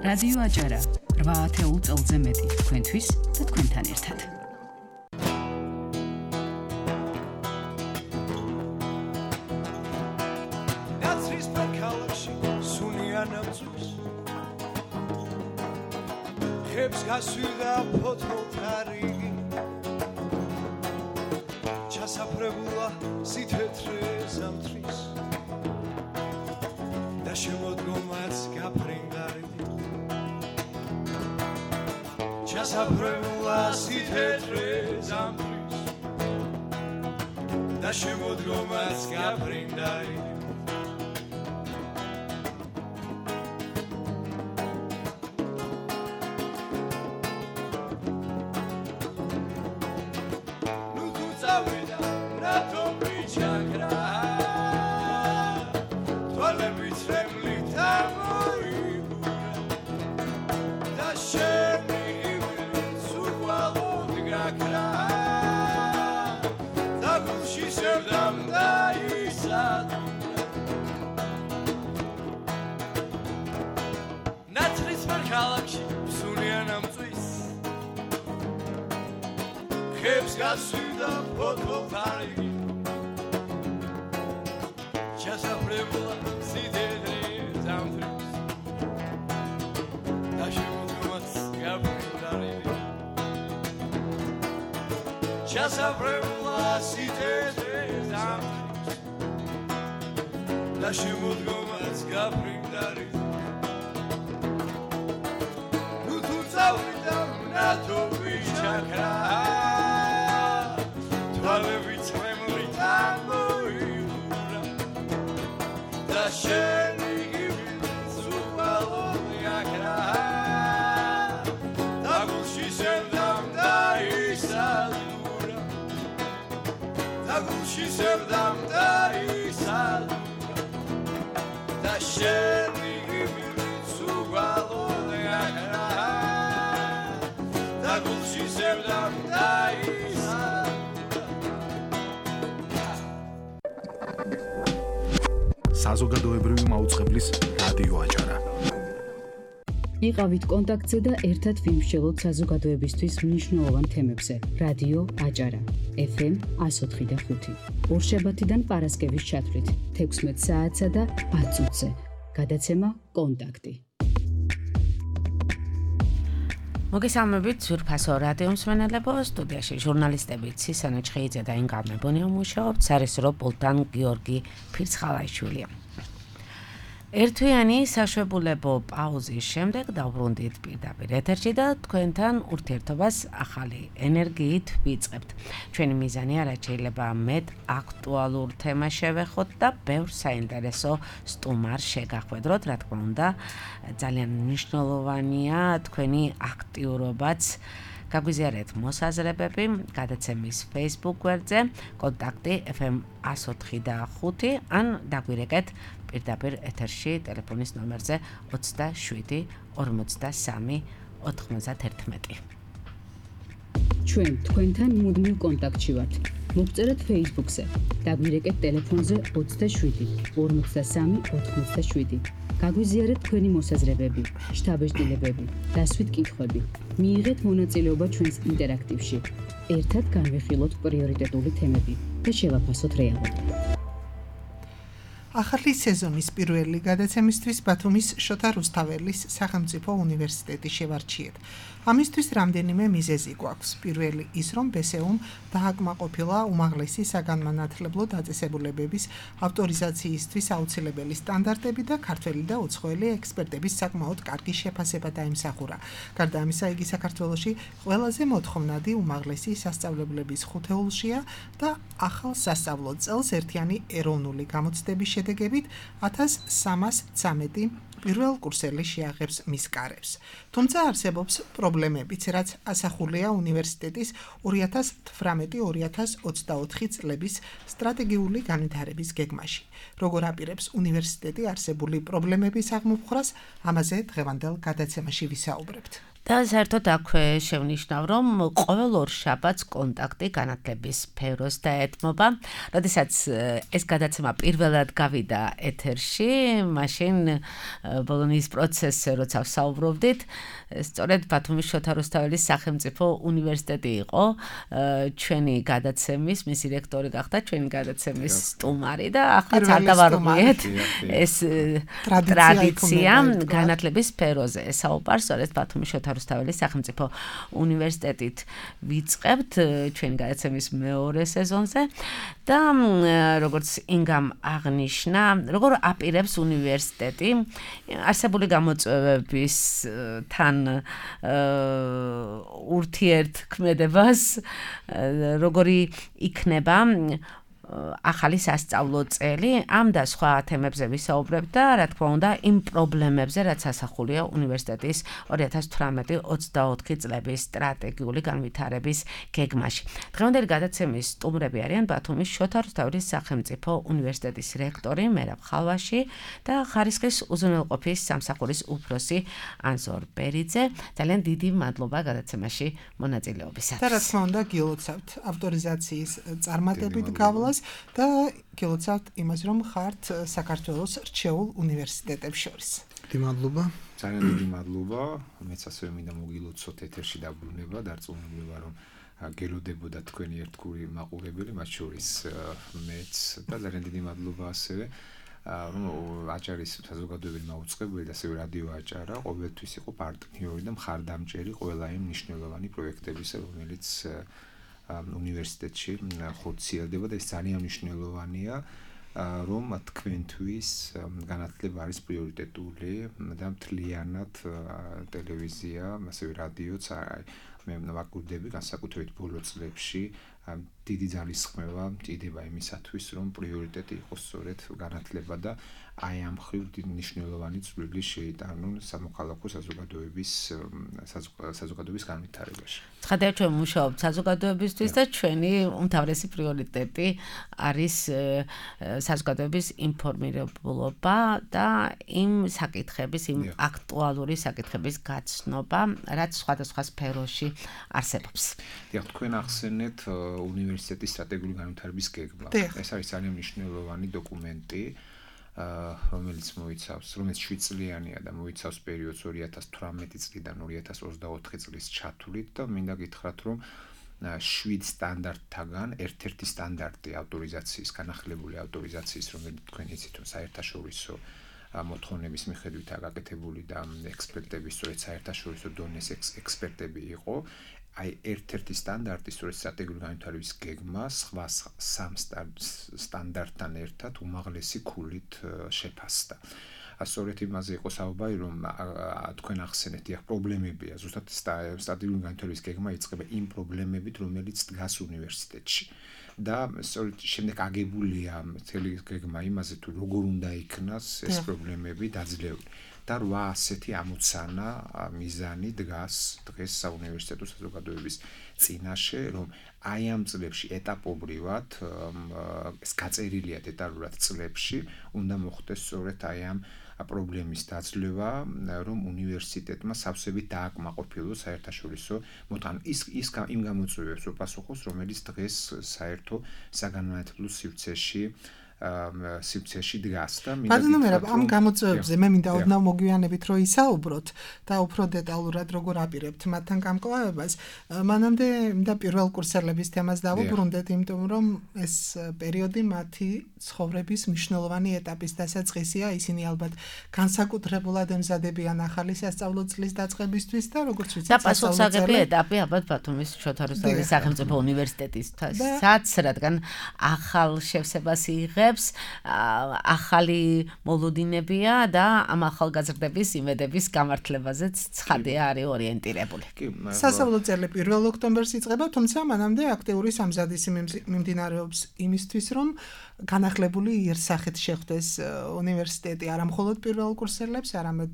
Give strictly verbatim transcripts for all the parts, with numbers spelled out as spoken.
რადიო აჭარა რვა ათეულ წელზე მეტი თქვენთვის და თქვენთან ერთად. ნაცრის პარკალში სუნიანამწვის ხებს გასვიდა ფოთოლთა რიგი ჩასაფრებულა სითეთრე ზამთრის და შემოდგომაც გაფრინდარი ჩასაფრებულა სითეთრე ზამთრის და შემოდგომაც გაფრინდარი ხებს გასვიდა ფოთოლთა რიგი ჩასაფრებულა სითეთრე ზამთრის და შემოდგომაც გაფრინდარი ჩასაფრებულა სითეთრე ზამთრის და შემოდგომაც გაფრინდარი ნუ თუ წავიდა ნათო ვიჩაქრა Tvalevits memlit amoiura Da sheni givits uvalodi akra Da gulshi serdam da isadura Da gulshi serdam da isadura Da sheni givits uvalodi akra Da gulshi serdam da isadura საზოგადოებრივი მაუწყებლის რადიო აჭარა. იყავით კონტაქტზე და ერთად ვიმსჯელოთ საზოგადოებისთვის მნიშვნელოვან თემებზე. რადიო აჭარა ეფ ემ εκατო ოთხი და ხუთი. ორშაბათიდან პარასკევის ჩათვლით თექვსმეტ საათსა და ათ წუთზე. გადაცემა კონტაქტი. მოგესალმებით ძვირფასო რადიო მსმენელებო, სტუდიაში ჟურნალისტები ცისანა ჩხეიძე და ინგა მებონია მუშაობთ, სარესურო პულტან გიორგი ფირცხალაიშვილი. ერთვიანი საშვებულებო პაუზის შემდეგ დავბრუნდით პირდაპირ ეთერში და თქვენთან ურთიერთობას ახალი ენერგიით ვიწყებთ. ჩვენი მიზანია რაც შეიძლება მეტ აქტუალურ თემას შევეხოთ და ბევრ საინტერესო სტუმარ შეგახვედროთ, რა თქმა უნდა, ძალიან მნიშვნელოვანია თქვენი აქტიურობაც. გაგვიზიარეთ მოსაზრებები გადაცემის Facebook გვერდზე კონტაქტი ეფ ემ εκατო ოთხი და ხუთი ან დაგვირეკეთ პირდაპირ ეთერში ტელეფონის ნომერზე ოცდაშვიდი ორმოცდასამი ოთხმოცდაერთმეტი. ჩვენ თქვენთან მუდმივ კონტაქტში ვართ. მოგწერეთ Facebook-ზე. დაგვირეკეთ ტელეფონზე ოცდაშვიდი ორმოცდასამი ოთხმოცდაშვიდი. გაგვიზიარეთ თქვენი მოსაზრებები, შთაბეჭდილებები, დასვით კითხვები. მიიღეთ მონაწილეობა ჩვენს ინტერაქტივში. ერთად განვიხილოთ პრიორიტეტული თემები და შევაფასოთ რეალობა. ახალი სეზონის პირველი გადაცემისთვის ბათუმის შოთა რუსთაველის სახელმწიფო უნივერსიტეტი შევარჩიეთ. ამისთვის რამდენიმე მიზეზი გვაქვს. პირველი ის, რომ ბესეუმ დააკმაყოფილა უმაღლესი საგანმანათლებლო დაწესებულებების ავტორიზაციისთვის აუცილებელი სტანდარტები და ქართველი და უცხოელი ექსპერტების საკმაოდ კარგი შეფასება დაიმსახურა. გარდა ამისა, იგი საქართველოში ყველაზე მოთხოვნადი უმაღლესი სასწავლებლების ხუთეულშია და ახალ სასწავლო წელს ერთიანი ეროვნული გამოცდების შედეგებით ათას სამას ცამეტი პირველ კურსელი შეაღებს მის კარებს. თუმცა არსებობს პრობლემებიც, რაც ასახულია უნივერსიტეტის ორი ათას თვრამეტი ორი ათას ოცდაოთხი წლების სტრატეგიული განვითარების გეგმაში. როგორ აპირებს უნივერსიტეტი არსებული პრობლემების აღმოფხვრას, ამაზე დღევანდელ გადაცემაში ვისაუბრებთ. და საერთოდ აქვე შევნიშნავ, რომ ყოველ ორ შაბათს კონტაქტი განათლების სფეროს დაეთმობა. როდესაც ეს გადაცემა პირველად გავიდა ეთერში, მაშინ ბოლონიის პროცესზე როცა ვსაუბრობდით, სწორედ ბათუმის შოთა რუსთაველის სახელმწიფო უნივერსიტეტი იყო ჩვენი გადაცემის, მისი რექტორი გახდა ჩვენი გადაცემის სტუმარი და ახლა წარდავარღვიეთ ეს ტრადიცია განათლების სფეროზე ესაუბარ, სწორედ ბათუმის შოთა რუსთაველის სახელმწიფო უნივერსიტეტით ვიწყებთ ჩვენი გადაცემის მეორე სეზონზე და როგორც ინგამ აღნიშნა, როგორ აპირებს უნივერსიტეტი არსებული გამოწვევების თან ურთიერთქმედებას, როგორი იქნება ახალი სასწავლო წელი, ამ და სხვა თემებზე ვისაუბრებ და რა თქმა უნდა იმ პრობლემებზე, რაც ასახულია უნივერსიტეტის ორი ათას თვრამეტი ოცდაოთხი წლების სტრატეგიული განვითარების გეგმაში. დღევანდელი გადაცემის სტუმრები არიან ბათუმის შოთა რუსთაველის სახელმწიფო უნივერსიტეტის რექტორი მერაბ ხალვაში და ხარისხის უზრუნველყოფის სამსახურის უფროსი ანზორ ბერიძე. ძალიან დიდი მადლობა გადაცემაში მონაწილეობისათვის. და რა თქმა უნდა გილოცავთ ავტორიზაციის წარმატებით გავლას და გილოცავთ იმას, რომ ხართ საქართველოს რჩეულ უნივერსიტეტებს შორის. დიდი მადლობა. ძალიან დიდი მადლობა. მეც ასევე მინდა მოგილოცოთ ეთერში დაბრუნება, დარწმუნებული რომ გელოდებოდა თქვენი ერთგული მაყურებელი, მათ შორის მეც და ძალიან დიდი მადლობა ასევე რომ აჭარის საზოგადოებრივი მაუწყებელი და ასევე რადიო აჭარა ყოველთვის იყო პარტნიორი და მხარდამჭერი ყველა იმ მნიშვნელოვანი პროექტებისა, რომელიც უნივერსიტეტში ხორციელდება და ეს ძალიან მნიშვნელოვანია, რომ თქვენთვის განათლება არის პრიორიტეტული და მთლიანად ტელევიზია, ასევე რადიოც მე ვაკვირდები განსაკუთრებით ბოლო წლებში დიდი ძალისხმევა მჭირდება იმისათვის, რომ პრიორიტეტი იყოს სწორედ განათლება და აი ამ ხრივ მნიშვნელოვანი წვლილი შეიტანონ სამოქალაქო საზოგადოების საზოგადოების განვითარებაში. ცხადია, ჩვენ მუშაობთ საზოგადოებისთვის და ჩვენი უმთავრესი პრიორიტეტი არის საზოგადოების ინფორმირებულობა და იმ საკითხების, იმ აქტუალური საკითხების გაცნობა, რაც სხვადასხვა სფეროში არსებობს. დიახ, თქვენ ახსენეთ უნივერსიტეტის სტრატეგიული განვითარების გეგმა. ეს არის ძალიან მნიშვნელოვანი დოკუმენტი, რომელიც მოიცავს, რომელიც შვიდ წლიანია და მოიცავს პერიოდს ორი ათას თვრამეტი წლიდან ორი ათას ოცდაოთხი წლის ჩათვლით და მინდა გითხრათ, რომ შვიდ სტანდარტთაგან ერთ-ერთი სტანდარტი ავტორიზაციის, განახლებული ავტორიზაციის, რომელიც თქვენ იცით, რომ საერთაშორისო მოთხოვნების მიხედვითაა გაკეთებული და ექსპერტების სწორედ საერთაშორისო დონეს ექსპერტები იყო. აი ერთ-ერთი სტანდარტი სწორედ სტრატეგიული განვითარების გეგმა სხვა სამ სტანდარტთან ერთად უმაღლესი ქულით შეფასდა. სწორედ იმაზე იყო საუბარი, რომ თქვენ ახსენეთ, დიახ, პრობლემებია. ზუსტად სტრატეგიული განვითარების გეგმა იწყება იმ პრობლემებით, რომელიც დგას უნივერსიტეტში. და სწორედ შემდეგ აგებულია მთელი გეგმა იმაზე, თუ როგორ უნდა იქნას ეს პრობლემები დაძლეული. და რვა ასეთი ამოცანა მიზანი დგას დღეს საუნივერსიტეტო საზოგადოების წინაშე, რომ აი ამ წლებში ეტაპობრივად ეს გაწერილია დეტალურად წლებში, უნდა მოხდეს სწორედ აი ამ პრობლემის დაძლევა, რომ უნივერსიტეტმა სავსებით დააკმაყოფილოს საერთაშორისო მოთხოვნები. ის ის იმ გამოწვევებს უპასუხოს, რომელიც დღეს საერთო საგანმანათლებლო სივრცეში სივრცეში დგას და მინდა გითხრათ, ამ გამოწვევებზე მე მინდა ოდნავ მოგვიანებით რომ ისაუბროთ და უფრო დეტალურად როგორ აპირებთ მათთან გამკლავებას. მანამდე მინდა პირველ კურსელების თემას დავუბრუნდეთ, იმიტომ რომ ეს პერიოდი მათი ცხოვრების მნიშვნელოვანი ეტაპის დასაწყისია. ისინი ალბათ განსაკუთრებულად ემზადებიან ახალი სასწავლო წლის დაწყებისთვის და როგორც ვიცით, და პასუხისმგებელი ეტაპი ალბათ ბათუმის შოთა რუსთაველის სახელმწიფო უნივერსიტეტისთვისაც, რადგან ახალ შევსებას იღებს, ახალი მოლოდინებია და ამ ახალგაზრდების იმედების გამართლებაზეც ცხადია არის ორიენტირებული. სასწავლო წელი პირველ ოქტომბერს იწყება, თუმცა მანამდე აქტიური სამზადისი მიმდინარეობს იმისთვის, რომ განახლებული იერსახით შეხვდეს უნივერსიტეტი არა მხოლოდ პირველ კურსელებს, არამედ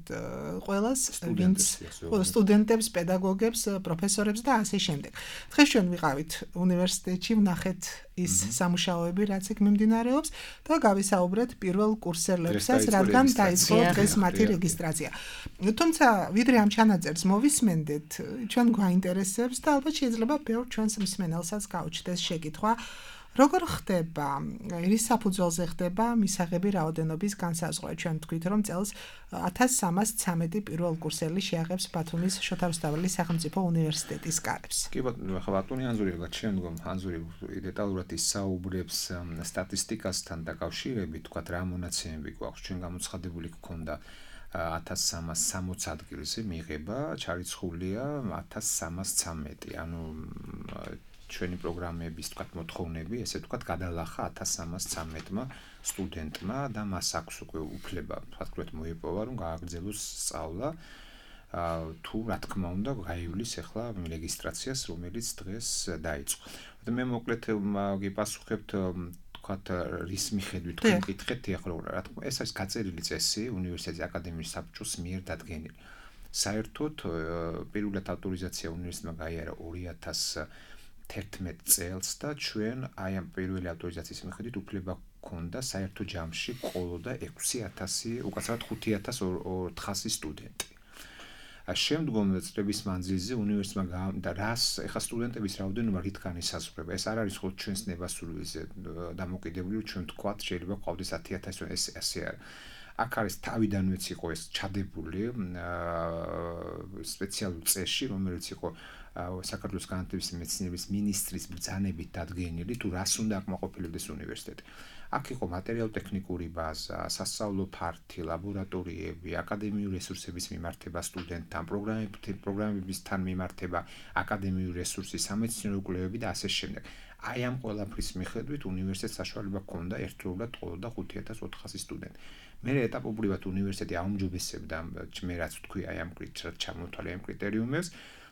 ყველას, ვინც სტუდენტებს, პედაგოგებს, პროფესორებს და ასე შემდეგ. დღეს ჩვენ ვიყავით უნივერსიტეტში, ვნახეთ ის სამუშაოები, რაც იქ მიმდინარეობს და გავისაუბრეთ პირველ კურსელებსაც, რადგან დაიწყო დღეს მათი რეგისტრაცია. თუმცა, ვიდრე ამ ჩანაწერს მოვისმენდეთ, ჩვენ გვაინტერესებს და ალბათ შეიძლება ბევრ ჩვენს მსმენელსაც გაუჩნდეს შეკითხვა, როგორ ხდება რის საფუძველზე ხდება მისაღები რაოდენობის განსაზღვრა? ჩვენ ვთქვით, რომ წელს ათას სამას ცამეტი პირველ კურსელი შეაღებს ბათუმის შოთა რუსთაველის სახელმწიფო უნივერსიტეტის კარებს. კი ბატონო, ხა ბატონი ანზური რა შემდგომ ანზური დეტალურად ისაუბრებს სტატისტიკასთან დაკავშირებით, თქვა რა მონაცემები გვაქვს, ჩვენ გამოცხადებული გქონდა ათას სამას სამოცი ადგილზე მიღება, ჩარიცხულია ათას სამას ცამეტი, ანუ ჩვენი პროგრამების თქვა მოთხოვნები, ესე თქვა გადალახა ათას სამას ცამეტმა სტუდენტმა და მას აქვს უკვე უფლება, თქვათ მოიპოვა, რომ გააგრძელოს სწავლა. თუ რა თქმა უნდა გაივლის ახლა რეგისტრაციას, რომელიც დღეს დაიწყო. და მე მოკლედ გიპასუხებთ თქვათ რის მიხედვით თქვენ გითხეთ ახლა რა თქმა ეს არის გაწერილი წესი უნივერსიტეტის აკადემიის საბჭოს მიერ დადგენილი. საერთოდ პირველად ავტორიზაცია უნივერსიტეტმა გაიარა ორი ათას თერთმეტ წელს და ჩვენ აი ამ პირველი ავტორიზაციის მიხედვით უფლება გქონდა საერთო ჯამში ყოლოდა ექვსი ათასი, უკაცრავად ხუთი ათას ოთხასი სტუდენტი. შემდგომ წლების მანძილზე უნივერსიტეტმა და რას ეხა სტუდენტების რაოდენობა რითგან ისაზღვრება? ეს არ არის ხოლმე ჩვენს ნებასრულზე დამოკიდებული, ჩვენ თქვათ შეიძლება ყავდეს ათი ათასი, ეს ასე არის. აქ არის თავიდანვეც იყო ეს ჩადებული სპეციალურ წესში, რომელიც იყო საქართველოს განათლების მეცნიერების მინისტრის ბრძანებით დადგენილი, თუ რას უნდა აკმაყოფილებდეს უნივერსიტეტი. აქ იყო მატერიალურ-ტექნიკური ბაზა, სასწავლო ფართი, ლაბორატორიები, აკადემიური რესურსების მიმართება სტუდენტთან, პროგრამებისთან მიმართება, აკადემიური რესურსი, სამეცნიერო კვლევები და ასე შემდეგ. აი ამ ყველაფრის მიხედვით უნივერსიტეტს საშუალება ჰქონდა ერთდროულად ყოლოდა ხუთი ათას ოთხასი სტუდენტი. მე ეტაპობრივად უნივერსიტეტი აუმჯობესებდა მე რაც ვთქვი აი ამ ჩამოთვალე ამ კრიტერიუმებს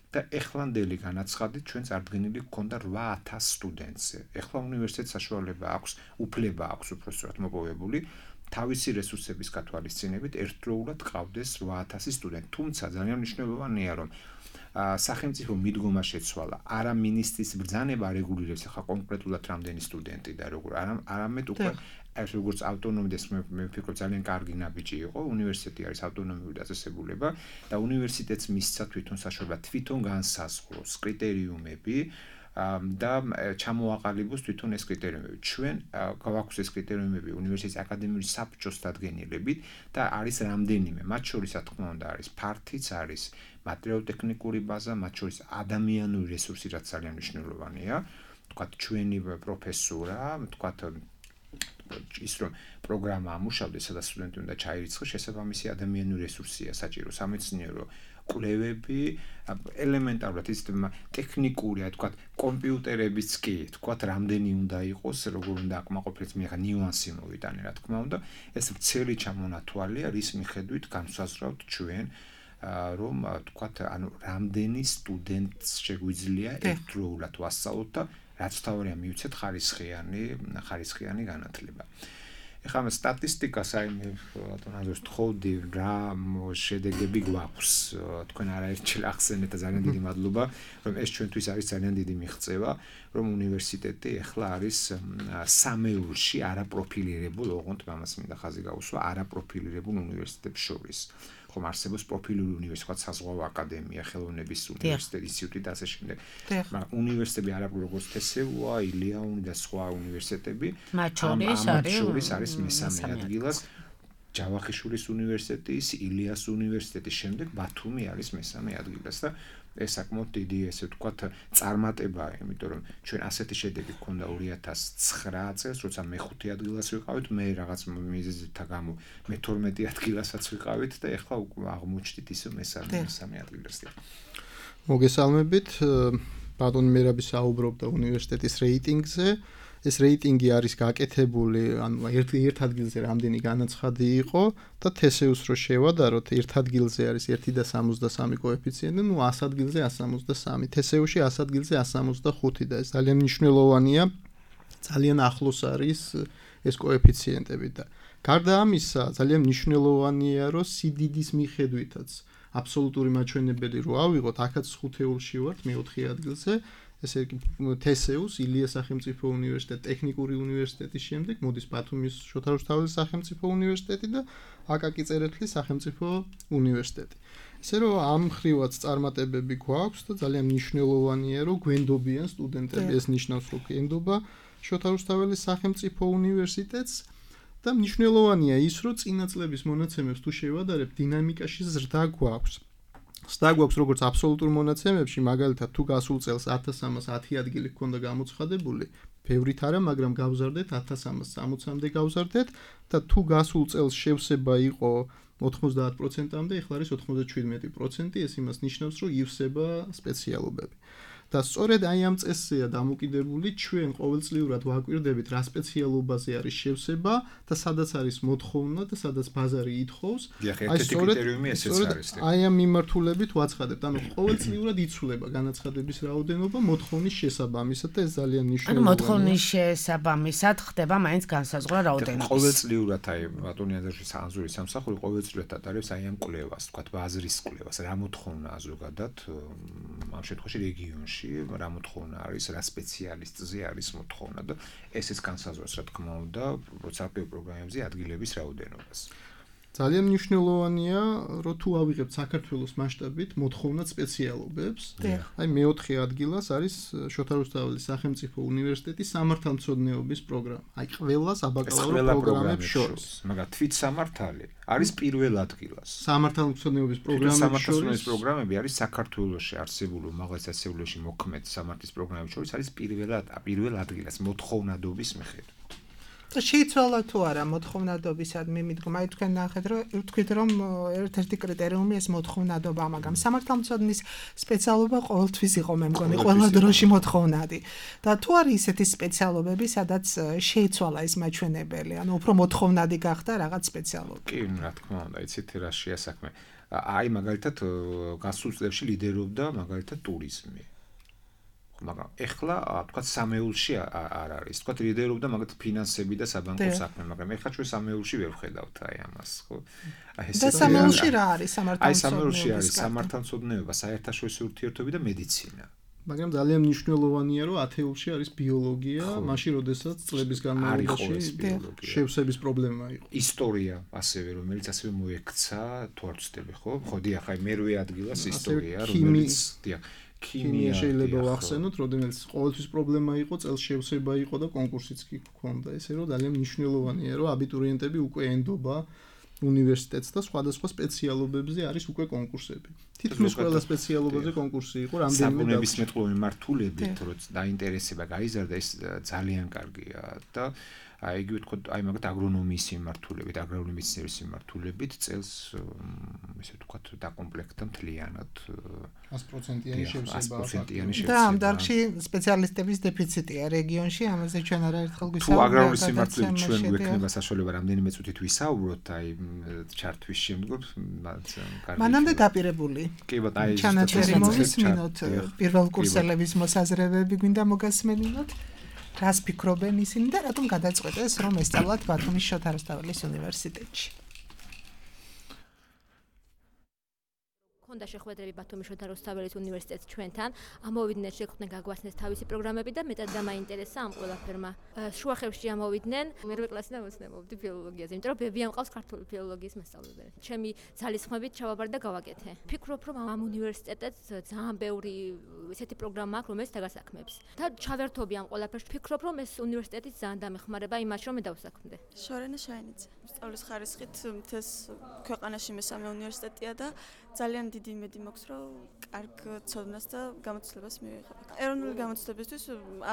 და ეხლანდელი განაცხადით ჩვენ წარდგენილი გქონდა რვა ათას სტუდენტზე. ეხლა უნივერსიტეტს საშუალება აქვს, უფლება აქვს უпростоრად მოპოვებული თავისი რესურსების გათვალისწინებით ერთდროულად ყავდეს რვა ათასი სტუდენტი. თუმცა ძალიან მნიშვნელოვანია რომ სახელმწიფო მიდგომა შეცვალა. არა მინისტრის ბრძანება რეგულირებს ახლა კონკრეტულად რამდენი სტუდენტი და როგორ არამედ უკვე ეს როგორც ავტონომი და მე ვფიქრობ ძალიან კარგი ნაბიჯი იყო. უნივერსიტეტი არის ავტონომიური დაწესებულება და უნივერსიტეტს მისცა თვითონ საშუალება თვითონ განსაზღვროს კრიტერიუმები და ჩამოაყალიბოს თვითონ ეს კრიტერიუმები. ჩვენ გვაქვს ეს კრიტერიუმები უნივერსიტეტის აკადემიური საბჭოს დადგენილებით და არის რამდენიმე, მათ შორის რა თქმა უნდა არის ფართიც არის მატერიალურ-ტექნიკური ბაზა, მათ შორის ადამიანური რესურსი, რაც ძალიან მნიშვნელოვანია. თქვათ ჩვენი პროფესორა, თქვათ ის რომ პროგრამა ამუშავდეს, სადაც სტუდენტი უნდა ჩაირიცხოს, შესაბამისი ადამიანური რესურსია საჭირო, სამეცნიერო კვლევები, ელემენტარულად ის ტექნიკური, აი თქვათ კომპიუტერებიც კი, თქვათ რამდენი უნდა იყოს, როგორ უნდა აკმაყოფილდეს, მე ხა ნიუანსი მოვიტანე, რა თქმა უნდა, ეს ვრცელი ჩამონათვალია, რის მიხედვით განსაზღვრავთ ჩვენ რომ თქვათ ანუ რამდენი სტუდენტს შეგვიძლია ერთდროულად ვასწავლოთ და რაც თავია მივცეთ ხარისხიანი ხარისხიანი განათლება. ეხლა მე სტატისტიკას აი მე ბატონაზოს თხოვდი რა შედეგები გვაქვს. თქვენ არაერთხელ ახსენეთ და ძალიან დიდი მადლობა, რომ ეს ჩვენთვის არის ძალიან დიდი მიღწევა, რომ უნივერსიტეტი ეხლა არის სამეულში არაპროფილირებულ, ოღონდ ამას მინდა ხაზი გაუსვა, არაპროფილირებულ უნივერსიტეტებს შორის. ხომ არსებობს პროფილური უნივერსიტეტი, საზღვაო აკადემია, ხელოვნების უნივერსიტეტი, ინსტიტუტი და ასე შემდეგ. მაგრამ უნივერსიტეტები არაფერ როგორც თესეუა, ილიაუნი და სხვა უნივერსიტეტები, მათ შორის არის მესამე ადგილას. ჯავახიშვილის უნივერსიტეტის, ილიას უნივერსიტეტის შემდეგ ბათუმი არის მესამე ადგილას და ეს საკმაოდ დიდი ესე ვთქვათ წარმატებაა, იმიტომ რომ ჩვენ ასეთი შედეგი გქონდა ორი ათას ცხრა წელს, როცა მეხუთე ადგილას ვიყავით, მე რაღაც მიზეზთა გამო მეთორმეტე ადგილასაც ვიყავით და ეხლა აღმოჩნდით ისე მესამე მესამე ადგილას. მოგესალმებით, ბატონი მერაბი საუბრობდა უნივერსიტეტის რეიტინგზე. ეს რეიტინგი არის გაკეთებული, ანუ ერთ ერთ ადგილზე რამდენი განაცხადი იყო და თესეუს რო შევადაროთ, ერთ ადგილზე არის ერთი და სამოცდასამი კოეფიციენტი, ну ას ადგილზე ას სამოცდასამი, თესეუსში ას ადგილზე ას სამოცდახუთი და ეს ძალიან მნიშვნელოვანია, ძალიან ახლოს არის ეს კოეფიციენტები და გარდა ამისა, ძალიან მნიშვნელოვანია, რომ სიდიდის მიხედვითაც აბსოლუტური მაჩვენებელი რო ავიღოთ, აქაც ხუთეულში ვართ, მეოთხე ადგილზე. ესე იგი თესეუს, ილიას სახელმწიფო უნივერსიტეტი, ტექნიკური უნივერსიტეტის შემდეგ მოდის ბათუმის შოთა რუსთაველის სახელმწიფო უნივერსიტეტი და აკაკი წერეთლის სახელმწიფო უნივერსიტეტი. ესე რომ ამ ხრივაც წარმატებები გვაქვს და ძალიან მნიშვნელოვანია, რომ გვენდობიან სტუდენტები, ეს ნიშნავს, რომ გვენდობა შოთა რუსთაველის სახელმწიფო უნივერსიტეტს და მნიშვნელოვანია ის, რომ წინა წლების მონაცემებს თუ შევადარებ, დინამიკაში ზრდა გვაქვს. ზრდა გვაქვს როგორც აბსოლუტურ მონაცემებში, მაგალითად თუ გასულ წელს ათას სამას ათი ადგილი ჰქონდა გამოცხადებული, ბევრით არა, მაგრამ გავზარდეთ ათას სამას სამოცამდე გავზარდეთ და თუ გასულ წელს შევსება იყო ოთხმოცდაათ პროცენტამდე, ეხლა არის ოთხმოცდაშვიდმეტი პროცენტი, ეს იმას ნიშნავს, რომ ივსება სპეციალობები. და სწორედ აი ამ წესზეა დამოკიდებული, ჩვენ ყოველწლიურად ვაკვირდებით რა სპეციალობაზე არის შევსება და სადაც არის მოთხოვნა და სადაც ბაზარი ითხოვს. აი სწორედ აი ამ მიმართულებით ვაცხადებთ, ანუ ყოველწლიურად იცვლება განაცხადების რაოდენობა მოთხოვნის შესაბამისად და ეს ძალიან მნიშვნელოვანია. ანუ მოთხოვნის შესაბამისად ხდება მაინც განსაზღვრა რაოდენობის. ყოველწლიურად აი ბატონი აზერში სანზური სამსახური ყოველწლიურად ატარებს აი ამ კვლევას, თქვათ ბაზრის კვლევას, რა მოთხოვნაა ზოგადად ამ შემთხვევაში რეგიონში. რა მოთხოვნა არის, რა სპეციალისტზე არის მოთხოვნა და ესეც განსაზღვრავს რა თქმა უნდა პროცესულ პროგრამებზე ადგილების რაოდენობას. ძალიან მნიშვნელოვანია, რომ თუ ავიღებთ საქართველოს მასშტაბით მოთხოვნად სპეციალობებს, აი მეოთხე ადგილას არის შოთა რუსთაველის სახელმწიფო უნივერსიტეტის სამართალმცოდნეობის პროგრამა. აი ყველა საბაკალავრო პროგრამებს შორის. მაგრამ თვით სამართალი არის პირველ ადგილას. სამართალმცოდნეობის პროგრამები სამართალმცოდნეობის პროგრამები არის საქართველოში არსებული უმაღლეს სასწავლებლებში მოქმედ სამართლის პროგრამებს შორის არის პირველად პირველ ადგილას მოთხოვნადობის მიხედვით. და შეიცვალა თუ არა მოთხოვნადობისადმი მიდგომა, აი თქვენ ნახეთ რომ თქვით რომ ერთ-ერთი კრიტერიუმი ეს მოთხოვნადობა, მაგრამ სამართალმცოდნის სპეციალობა ყოველთვის იყო მე მგონი ყველა დროში მოთხოვნადი. და თუ არის ისეთი სპეციალობები, სადაც შეიცვალა ეს მაჩვენებელი, ანუ უფრო მოთხოვნადი გახდა რაღაც სპეციალობა. კი, რა თქმა უნდა, იცით რა შეასაქმე. აი მაგალითად გასულ წლებში ლიდერობდა მაგალითად ტურიზმი. მაგრამ ეხლა თქვა სამეულში არ არის. თქვა ლიდერობდა მაგათ ფინანსები და საბანკო საქმე, მაგრამ ეხლა ჩვენ სამეულში ვერ ვხედავთ აი ამას, ხო? აი ეს და სამეულში რა არის სამართალმცოდნეობა? აი სამეულში არის სამართალმცოდნეობა, საერთაშორისო ურთიერთობები და მედიცინა. მაგრამ ძალიან მნიშვნელოვანია, რომ ათეულში არის ბიოლოგია, მაშინ როდესაც წლების განმავლობაში შევსების პრობლემა იყო. ისტორია ასევე, რომელიც ასევე მოექცა, თუ არ ვცდები, ხო? ხო, დიახ, აი მერვე ადგილას ისტორია, რომელიც დიახ ქიმია შეიძლება ვახსენოთ, როდესაც ყოველთვის პრობლემა იყო, წელს შევსება იყო და კონკურსიც კი ჰქონდა. ესე რომ ძალიან მნიშვნელოვანია, რომ აბიტურიენტები უკვე ენდობა უნივერსიტეტს და სხვადასხვა სპეციალობებზე არის უკვე კონკურსები. თითქმის ყველა სპეციალობაზე კონკურსი იყო, რამდენიმე საბუნებისმეტყველო მიმართულებით, როცა დაინტერესება გაიზარდა, ეს ძალიან კარგია და აი იგივე თქო, აი მაგათ აგრონომიის მიმართულებით, აგრარული მეცნიერების მიმართულებით წელს ესე ვთქვათ დაკომპლექტდა მთლიანად ას პროცენტიანი შევსება. და ამ დარგში სპეციალისტების დეფიციტია რეგიონში, ამაზე ჩვენ არაერთხელ გვისაუბრეთ. თუ აგრარული მიმართულებით ჩვენ გვექნება საშუალება რამდენიმე წუთით ვისაუბროთ, აი ჩარტვის შემდგომ კარგი. მანამდე დაპირებული. კი ბატონო, აი ჩანაწერი მოვისმინოთ პირველ კურსელების მოსაზრებები გვინდა მოგასმენინოთ. რას ფიქრობენ ისინი და რატომ გადაწყვეტეს რომ ესწავლათ ბათუმის შოთა რუსთაველის უნივერსიტეტში? ქონდა შეხვედრები ბათუმის შოთა რუსთაველის უნივერსიტეტს ჩვენთან, ამოვიდნენ შეხვდნენ გაგვაცნეს თავისი პროგრამები და მეტად დამაინტერესა ამ ყველაფერმა. შუახევში ამოვიდნენ, მერვე კლასიდან მოცნებობდი ფილოლოგიაზე, იმიტომ რომ ბებია მყავს ქართული ფილოლოგიის მასწავლებელი. ჩემი ძალისხმევით ჩავაბარ და გავაკეთე. ფიქრობ რომ ამ უნივერსიტეტს ძალიან ბევრი ესეთი პროგრამა აქვს, რომელიც დაგასაქმებს. და ჩავერთობი ამ ყველაფერს, ფიქრობ რომ ეს უნივერსიტეტიც ძალიან დამეხმარება იმაში, რომ მე დავსაქმდე. შორენა შაინიძე. სწავლის ხარისხით მთელს ქვეყანაში მესამე უნივერსიტეტია და ძალიან დიდი იმედი მაქვს, რომ კარგ ცოდნას და გამოცდილებას მივიღებ. ეროვნული გამოცდილებისთვის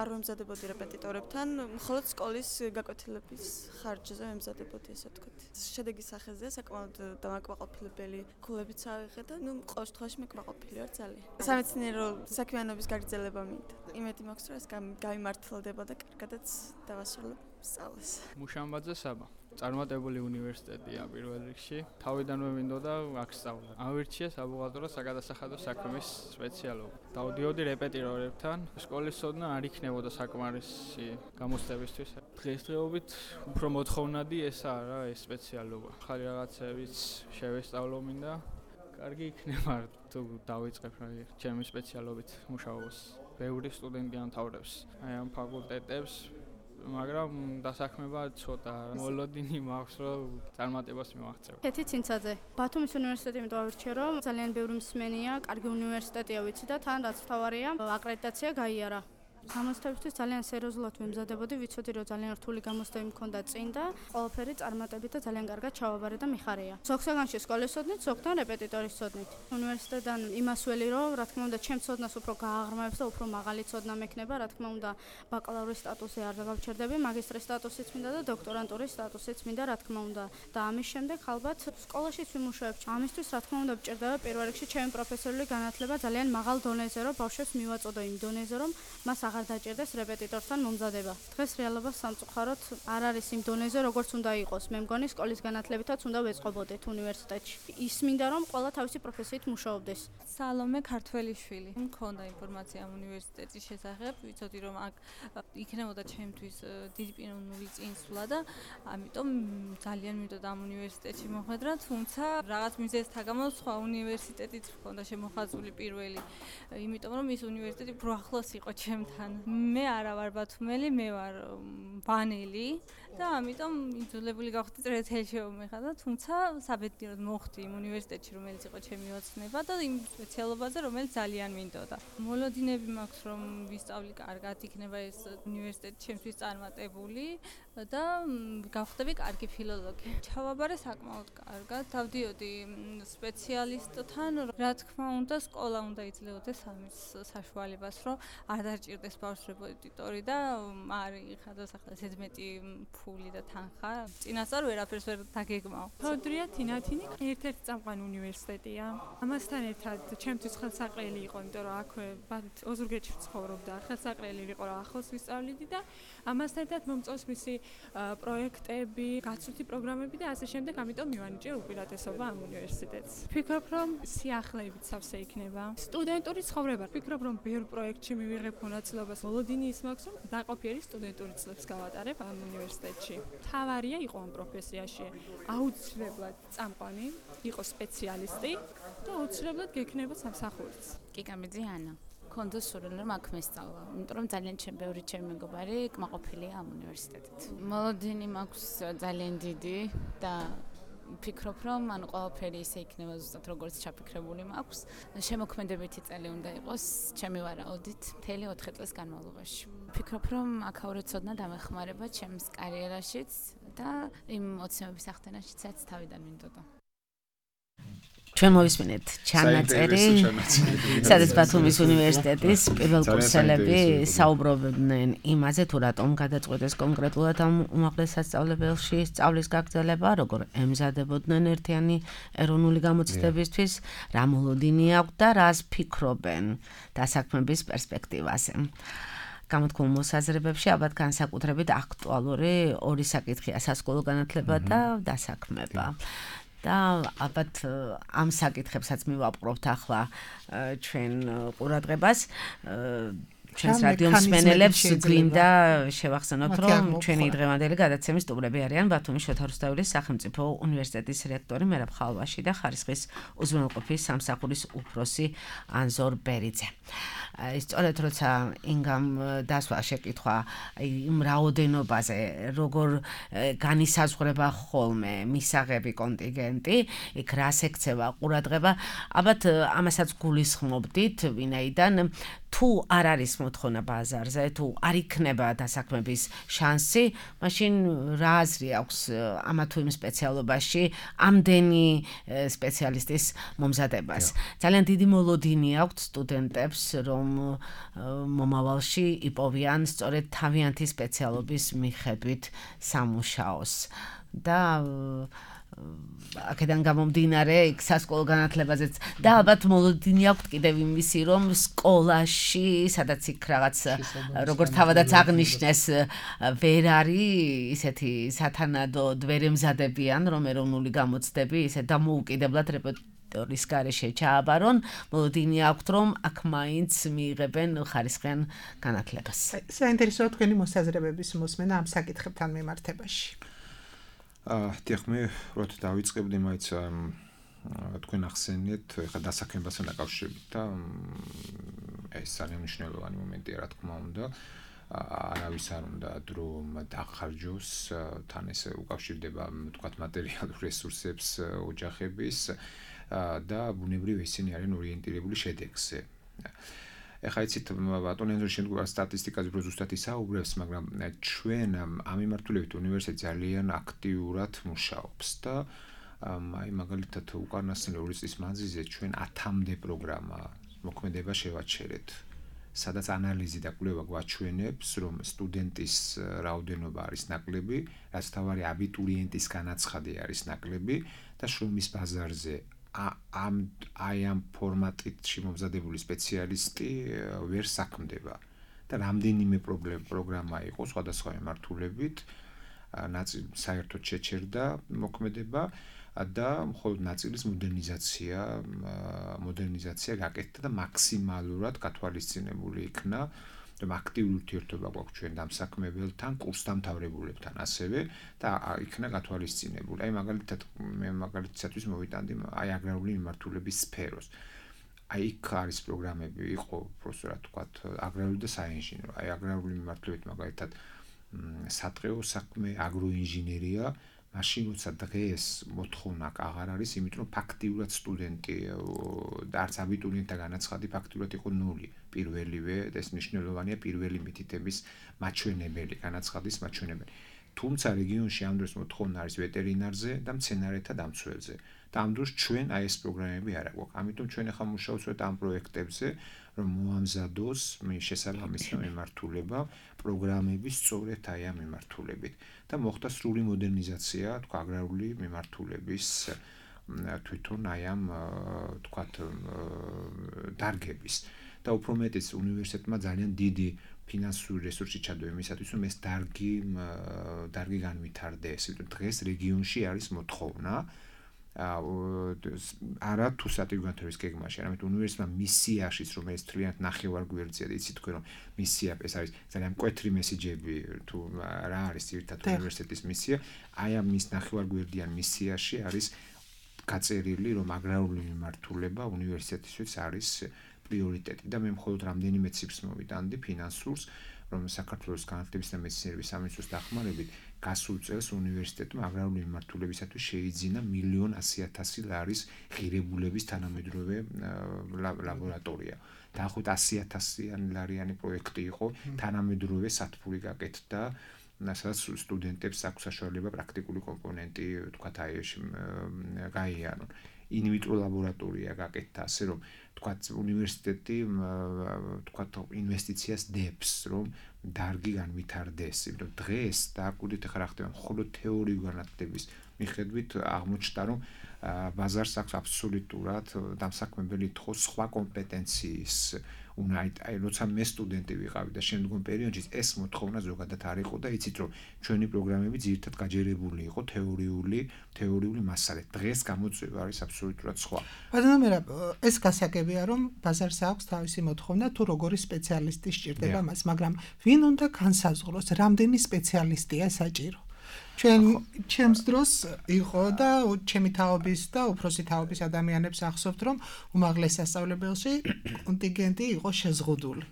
არ ვემზადებოდი რეპეტიტორებთან, მხოლოდ სკოლის გაკვეთილების ხარჯზე ვემზადებოდი, ესე ვთქვათ. შედეგის სახეზეა საკმაოდ დამაკმაყოფილებელი ქულებიც ავიღე და ნუ ყოველ შემთხვევაში მე კმაყოფილი ვარ ძალიან. სამეცნიერო საქმიანობის გაგრძელება მინდა. იმედი მაქვს, რომ ეს გამიმართლდება და კარგადაც დავასრულებ სწავლას. მუშამბაძე საბა წარმატებული უნივერსიტეტია პირველ რიგში. თავიდანვე მინდოდა აქ სწავლა. ავირჩიე საბუღალტრო საგადასახადო საქმის სპეციალობა. დავდიოდი რეპეტიტორებთან. სკოლის ცოდნა არ იქნებოდა საკმარისი გამოცდებისთვის. დღესდღეობით უფრო მოთხოვნადი ესაა რა ეს სპეციალობა. ხარი რაღაცებიც შევესწავლო მინდა. კარგი იქნება თუ დავიწყებ რა ჩემი სპეციალობით მუშაობას. ბევრი სტუდენტი ამთავრებს აი ამ ფაკულტეტებს. მაგრამ დასაქმება ცოტა მოლოდინი მაქვს რომ წარმატებას მივაღწევ. კეთი ცინცაძე. ბათუმის უნივერსიტეტი იმიტომ ავირჩიე რომ ძალიან ბევრი მსმენია, კარგი უნივერსიტეტია ვიცი და თან რაც მთავარია აკრედიტაცია გაიარა. გამოცდებისთვის ძალიან სერიოზულად ვემზადებოდი, ვიცოდი რომ ძალიან რთული გამოცდები მქონდა წინ და ყველაფერი წარმატებით და ძალიან კარგად ჩავაბარე და მიხარია. ზოგსაგანში სკოლის სოდნით, ზოგთან რეპეტიტორის სოდნით. უნივერსიტეტიდან იმას ველი რომ რა თქმა უნდა ჩემს სოდნას უფრო გააღრმავებს და უფრო მაღალი სოდნა მექნება, რა თქმა უნდა ბაკალავრის სტატუსი არ დავჩერდები, მაგისტრის სტატუსიც მინდა და დოქტორანტურის სტატუსიც მინდა, რა თქმა უნდა. და ამის შემდეგ ალბათ სკოლაშიც ვიმუშავებ. ამისთვის რა თქმა უნდა ვჭირდება პირველ რიგში ჩემი პროფესიული განათლება ძალიან მაღალ დონეზე, რომ ბავშვებს მივაწოდო იმ დონეზე, რომ მას აღარ დაჭირდეს რეპეტიტორთან მომზადება. დღეს რეალობა სამწუხაროდ არ არის იმ დონეზე, როგორც უნდა იყოს. მე მგონი სკოლის განათლებითაც უნდა ვეწყობოდეთ უნივერსიტეტში. ის მინდა რომ ყველა თავისი პროფესიით მუშაობდეს. სალომე ქართველიშვილი. მქონდა ინფორმაცია ამ უნივერსიტეტის შესახებ, ვიცოდი რომ აქ იქნებოდა ჩემთვის დიდი პიროვნული წინსვლა და ამიტომ ძალიან მინდოდა ამ უნივერსიტეტში მოხვედრა, თუმცა რაღაც მიზეზთა გამო სხვა უნივერსიტეტიც მქონდა შემოხაზული პირველი. იმიტომ რომ ის უნივერსიტეტი უფრო ახლოს იყო ჩემთან. მე არა ვარ ბათუმელი, მე ვარ ბანელი და ამიტომ იძულებული გავხდი წერეთელში მომეხადა, თუმცა საბედნიეროდ მოხდი იმ უნივერსიტეტში, რომელიც იყო ჩემი ოცნება და იმ სპეციალობაზე, რომელიც ძალიან მინდოდა. მოლოდინები მაქვს, რომ ვისწავლი კარგად, იქნება ეს უნივერსიტეტი ჩემთვის წარმატებული და გავხდები კარგი ფილოლოგი. ჩავაბარე საკმაოდ კარგად, დავდიოდი სპეციალისტთან, რა თქმა უნდა, სკოლა უნდა იძლეოდეს ამის საშუალებას, რომ არ დაჭირდეს ბავშვს რეპეტიტორი და არ იხადოს ახლა ესეთ მეტი ფული და თანხა. წინასწარ ვერაფერს ვერ დაგეგმავ. თოდრია თინათინი ერთ-ერთი წამყვანი უნივერსიტეტია. ამასთან ერთად ჩემთვის ხელსაყრელი იყო, იმიტომ რომ აქვე ოზურგეთში ვცხოვრობდა, ხელსაყრელი იყო რა ახლოს ვისწავლიდი და ამასთან ერთად მომწონს მისი პროექტები, გაცვლითი პროგრამები და ასე შემდეგ, ამიტომ მივანიჭე უპირატესობა ამ უნივერსიტეტს. ვფიქრობ, რომ სიახლეებით სავსე იქნება. სტუდენტური ცხოვრება. ვფიქრობ, რომ ბევრ პროექტში მივიღებ მონაწილეობას. მოლოდინი ის მაქვს, რომ დაყოფიერი სტუდენტური წლებს გავატარებ ამ უნივერსიტეტში. თავარია იყო ამ პროფესიაში. აუცილებლად წამყვანი, იყო სპეციალისტი და აუცილებლად გექნება სამსახურიც. კიკამიძე ანა. კონდა სურვილი რომ აქ მესწავლა, იმიტომ რომ ძალიან ჩემ ბევრი ჩემი მეგობარი კმაყოფილია ამ უნივერსიტეტით. მოლოდინი მაქვს ძალიან დიდი და ვფიქრობ რომ ანუ ყველაფერი ისე იქნება ზუსტად როგორც ჩაფიქრებული მაქვს. შემოქმედებითი წელი უნდა იყოს ჩემი ვარაუდით მთელი ოთხი წლის განმავლობაში. ვფიქრობ რომ აქაური ცოდნა დამეხმარება ჩემს კარიერაშიც და იმ ოცნებების ახდენაშიც თავიდან მინდოდა. ჩვენ მოვისმინეთ ჩანაწერი, სადაც ბათუმის უნივერსიტეტის პირველკურსელები საუბრობდნენ იმაზე, თუ რატომ გადაწყვეტეს კონკრეტულად ამ უმაღლეს სასწავლებელში სწავლის გაგრძელება, როგორ ემზადებოდნენ ერთიანი ეროვნული გამოცდებისთვის, რა მოლოდინი აქვთ და რას ფიქრობენ დასაქმების პერსპექტივაზე. გამოთქმულ მოსაზრებებში ალბათ განსაკუთრებით აქტუალური ორი საკითხია: სასკოლო განათლება და დასაქმება. და ალბათ ამ საკითხებსაც მივაპყრობთ ახლა ჩვენ ყურადღებას. ჩვენს რადიო მსმენელებს გვინდა შევახსენოთ, რომ ჩვენი დღევანდელი გადაცემის სტუმრები არიან ბათუმის შოთა რუსთაველის სახელმწიფო უნივერსიტეტის რექტორი მერაბ ხალვაში და ხარისხის უზრუნველყოფის სამსახურის უფროსი ანზორ ბერიძე. სწორედ როცა ინგამ დასვა შეკითხვა იმ რაოდენობაზე, როგორ განისაზღვრება ხოლმე მისაღები კონტინგენტი, იქ რას ექცევა ყურადღება, ალბათ ამასაც გულისხმობდით, ვინაიდან თუ არ არის მოთხოვნა ბაზარზე, თუ არ იქნება დასაქმების შანსი, მაშინ რა აზრი აქვს ამა თუ იმ სპეციალობაში ამდენი სპეციალისტის მომზადებას. ძალიან დიდი მოლოდინი აქვს სტუდენტებს, რომ მომავალში იპოვიან სწორედ თავიანთი სპეციალობის მიხედვით სამუშაოს. და აქედან გამომდინარე იქ სასკოლო განათლებაზეც და ალბათ მოლოდინი აქვთ კიდევ იმისი, რომ სკოლაში, სადაც იქ რაღაც როგორც თავადაც აღნიშნეს, ვერ არის ისეთი სათანადოდ ვერ ემზადებიან, რომ ეროვნული გამოცდები ისე დამოუკიდებლად რეპეტიტორის გარეშე ჩააბარონ, მოლოდინი აქვთ, რომ აქ მაინც მიიღებენ ხარისხიან განათლებას. საინტერესოა თქვენი მოსაზრებების მოსმენა ამ საკითხებთან მიმართებაში. აა თიხმე როდ დავიწყებდი მაინც თქვენ ახსენეთ ხა დასაქმებასთან დაკავშირებით და ეს ძალიან მნიშვნელოვანი მომენტია რა თქმა უნდა. არავის არ უნდა დრო დახარჯოს, თან ეს უკავშირდება თქვათ მატერიალურ რესურსებს ოჯახების და ბუნებრივ ისინი არიან ორიენტირებული შედეგზე. ეხლა იცით ბატონო ენზო შემდგომ სტატისტიკაზე რო ზუსტად ისაუბრებს, მაგრამ ჩვენ ამ მიმართულებით უნივერსიტეტი ძალიან აქტიურად მუშაობს და აი მაგალითად უკანასკნელი ორი წლის მანძილზე ჩვენ ათამდე პროგრამა მოქმედება შევაჩერეთ. სადაც ანალიზი და კვლევა გვაჩვენებს, რომ სტუდენტის რაოდენობა არის ნაკლები, რაც თავარი აბიტურიენტის განაცხადი არის ნაკლები და შრომის ბაზარზე ამ აი ამ ფორმატში მომზადებული სპეციალისტი ვერ საქმდება. და რამდენიმე პროგრამა იყო სხვადასხვა მიმართულებით, ნაწილი საერთოდ შეჩერდა მოქმედება და მხოლოდ ნაწილის მოდერნიზაცია მოდერნიზაცია გაკეთდა და მაქსიმალურად გათვალისწინებული იქნა რომ აქტიური ურთიერთობა გვაქვს ჩვენ დამსაქმებელთან, კურსდამთავრებულებთან ასევე და იქნა გათვალისწინებული. აი მაგალითად მე მაგალითად მოვიტანდი აი აგრარული მიმართულების სფეროს. აი იქ არის პროგრამები, იყო პროფესორად თქვათ აგრარული და საინჟინრო. აი აგრარული მიმართულებით მაგალითად სატყეო საქმე, აგროინჟინერია მაშინ როცა დღეს მოთხოვნა აღარ არის, იმიტომ რომ ფაქტიურად სტუდენტი და არც აბიტურიენტთა განაცხადი ფაქტიურად იყო ნული. პირველივე და ეს მნიშვნელოვანია პირველი მითითების მაჩვენებელი, განაცხადის მაჩვენებელი. თუმცა რეგიონში ამ დროს მოთხოვნა არის ვეტერინარზე და მცენარეთა დამცველზე. და ამ დროს ჩვენ აი ეს პროგრამები არ აქვს. ამიტომ ჩვენ ახლა მუშაობთ ამ პროექტებზე, რომ მოამზადოს შესაბამისი მიმართულება პროგრამები სწორედ აი ამ მიმართულებით და მოხდა სრული მოდერნიზაცია, თქვა აგრარული მიმართულების თვითონ აი ამ თქვათ დარგების და უფრო მეტიც უნივერსიტეტმა ძალიან დიდი ფინანსური რესურსი ჩადო იმისათვის, რომ ეს დარგი დარგი განვითარდეს. დღეს რეგიონში არის მოთხოვნა არა თუ სატიგანთების გეგმაში, არამედ უნივერსიტეტმა მისიაშიც, რომელიც თლიანად ნახევარგვერდზეა და იცით თქვენ რომ მისია ეს არის ძალიან მკვეთრი მესიჯები თუ რა არის ერთად უნივერსიტეტის მისია, აი ამ მის ნახევარგვერდიან მისიაში არის გაწერილი რომ აგრარული მიმართულება უნივერსიტეტისთვის არის პრიორიტეტი და მე მხოლოდ რამდენიმე ციფრს მოვიტანდი ფინანსურს, რომ საქართველოს განათლების და მეცნიერების სამინისტროს დახმარებით გასულ წელს უნივერსიტეტმა აგრარული მიმართულებისათვის შეიძინა მილიონ ასი ათასი ლარის ღირებულების თანამედროვე ლაბორატორია. დაახლოებით ასი ათასიანი ლარიანი პროექტი იყო, თანამედროვე სათბური გაკეთდა, სადაც სტუდენტებს აქვს საშუალება პრაქტიკული კომპონენტი, თქვათ აი ეს გაიარონ. ინვიტრო ლაბორატორია გაკეთდა, ასე რომ თქვათ უნივერსიტეტი თქვათ ინვესტიციას დებს, რომ დარგი განვითარდეს. იმიტომ დღეს დააკვირდით ახლა რა ხდება, მხოლოდ თეორიული განათლების მიხედვით აღმოჩნდა, რომ ბაზარს აქვს აბსოლუტურად დამსაქმებელი თხო სხვა კომპეტენციის უნდა აი როცა მე სტუდენტი ვიყავი და შემდგომ პერიოდში ეს მოთხოვნა ზოგადად არ იყო და იცით რომ ჩვენი პროგრამები ძირითადად გაჯერებული იყო თეორიული თეორიული მასალით. დღეს გამოწვევა არის აბსოლუტურად სხვა. ბატონო მერაბ, ეს გასაგებია რომ ბაზარს აქვს თავისი მოთხოვნა თუ როგორი სპეციალისტი სჭირდება მას, მაგრამ ვინ უნდა განსაზღვროს რამდენი სპეციალისტია საჭირო? ჩვენ ჩემს დროს იყო და ჩემი თაობის და უფროსი თაობის ადამიანებს ახსოვთ რომ უმაღლეს სასწავლებელში კონტინგენტი იყო შეზღუდული.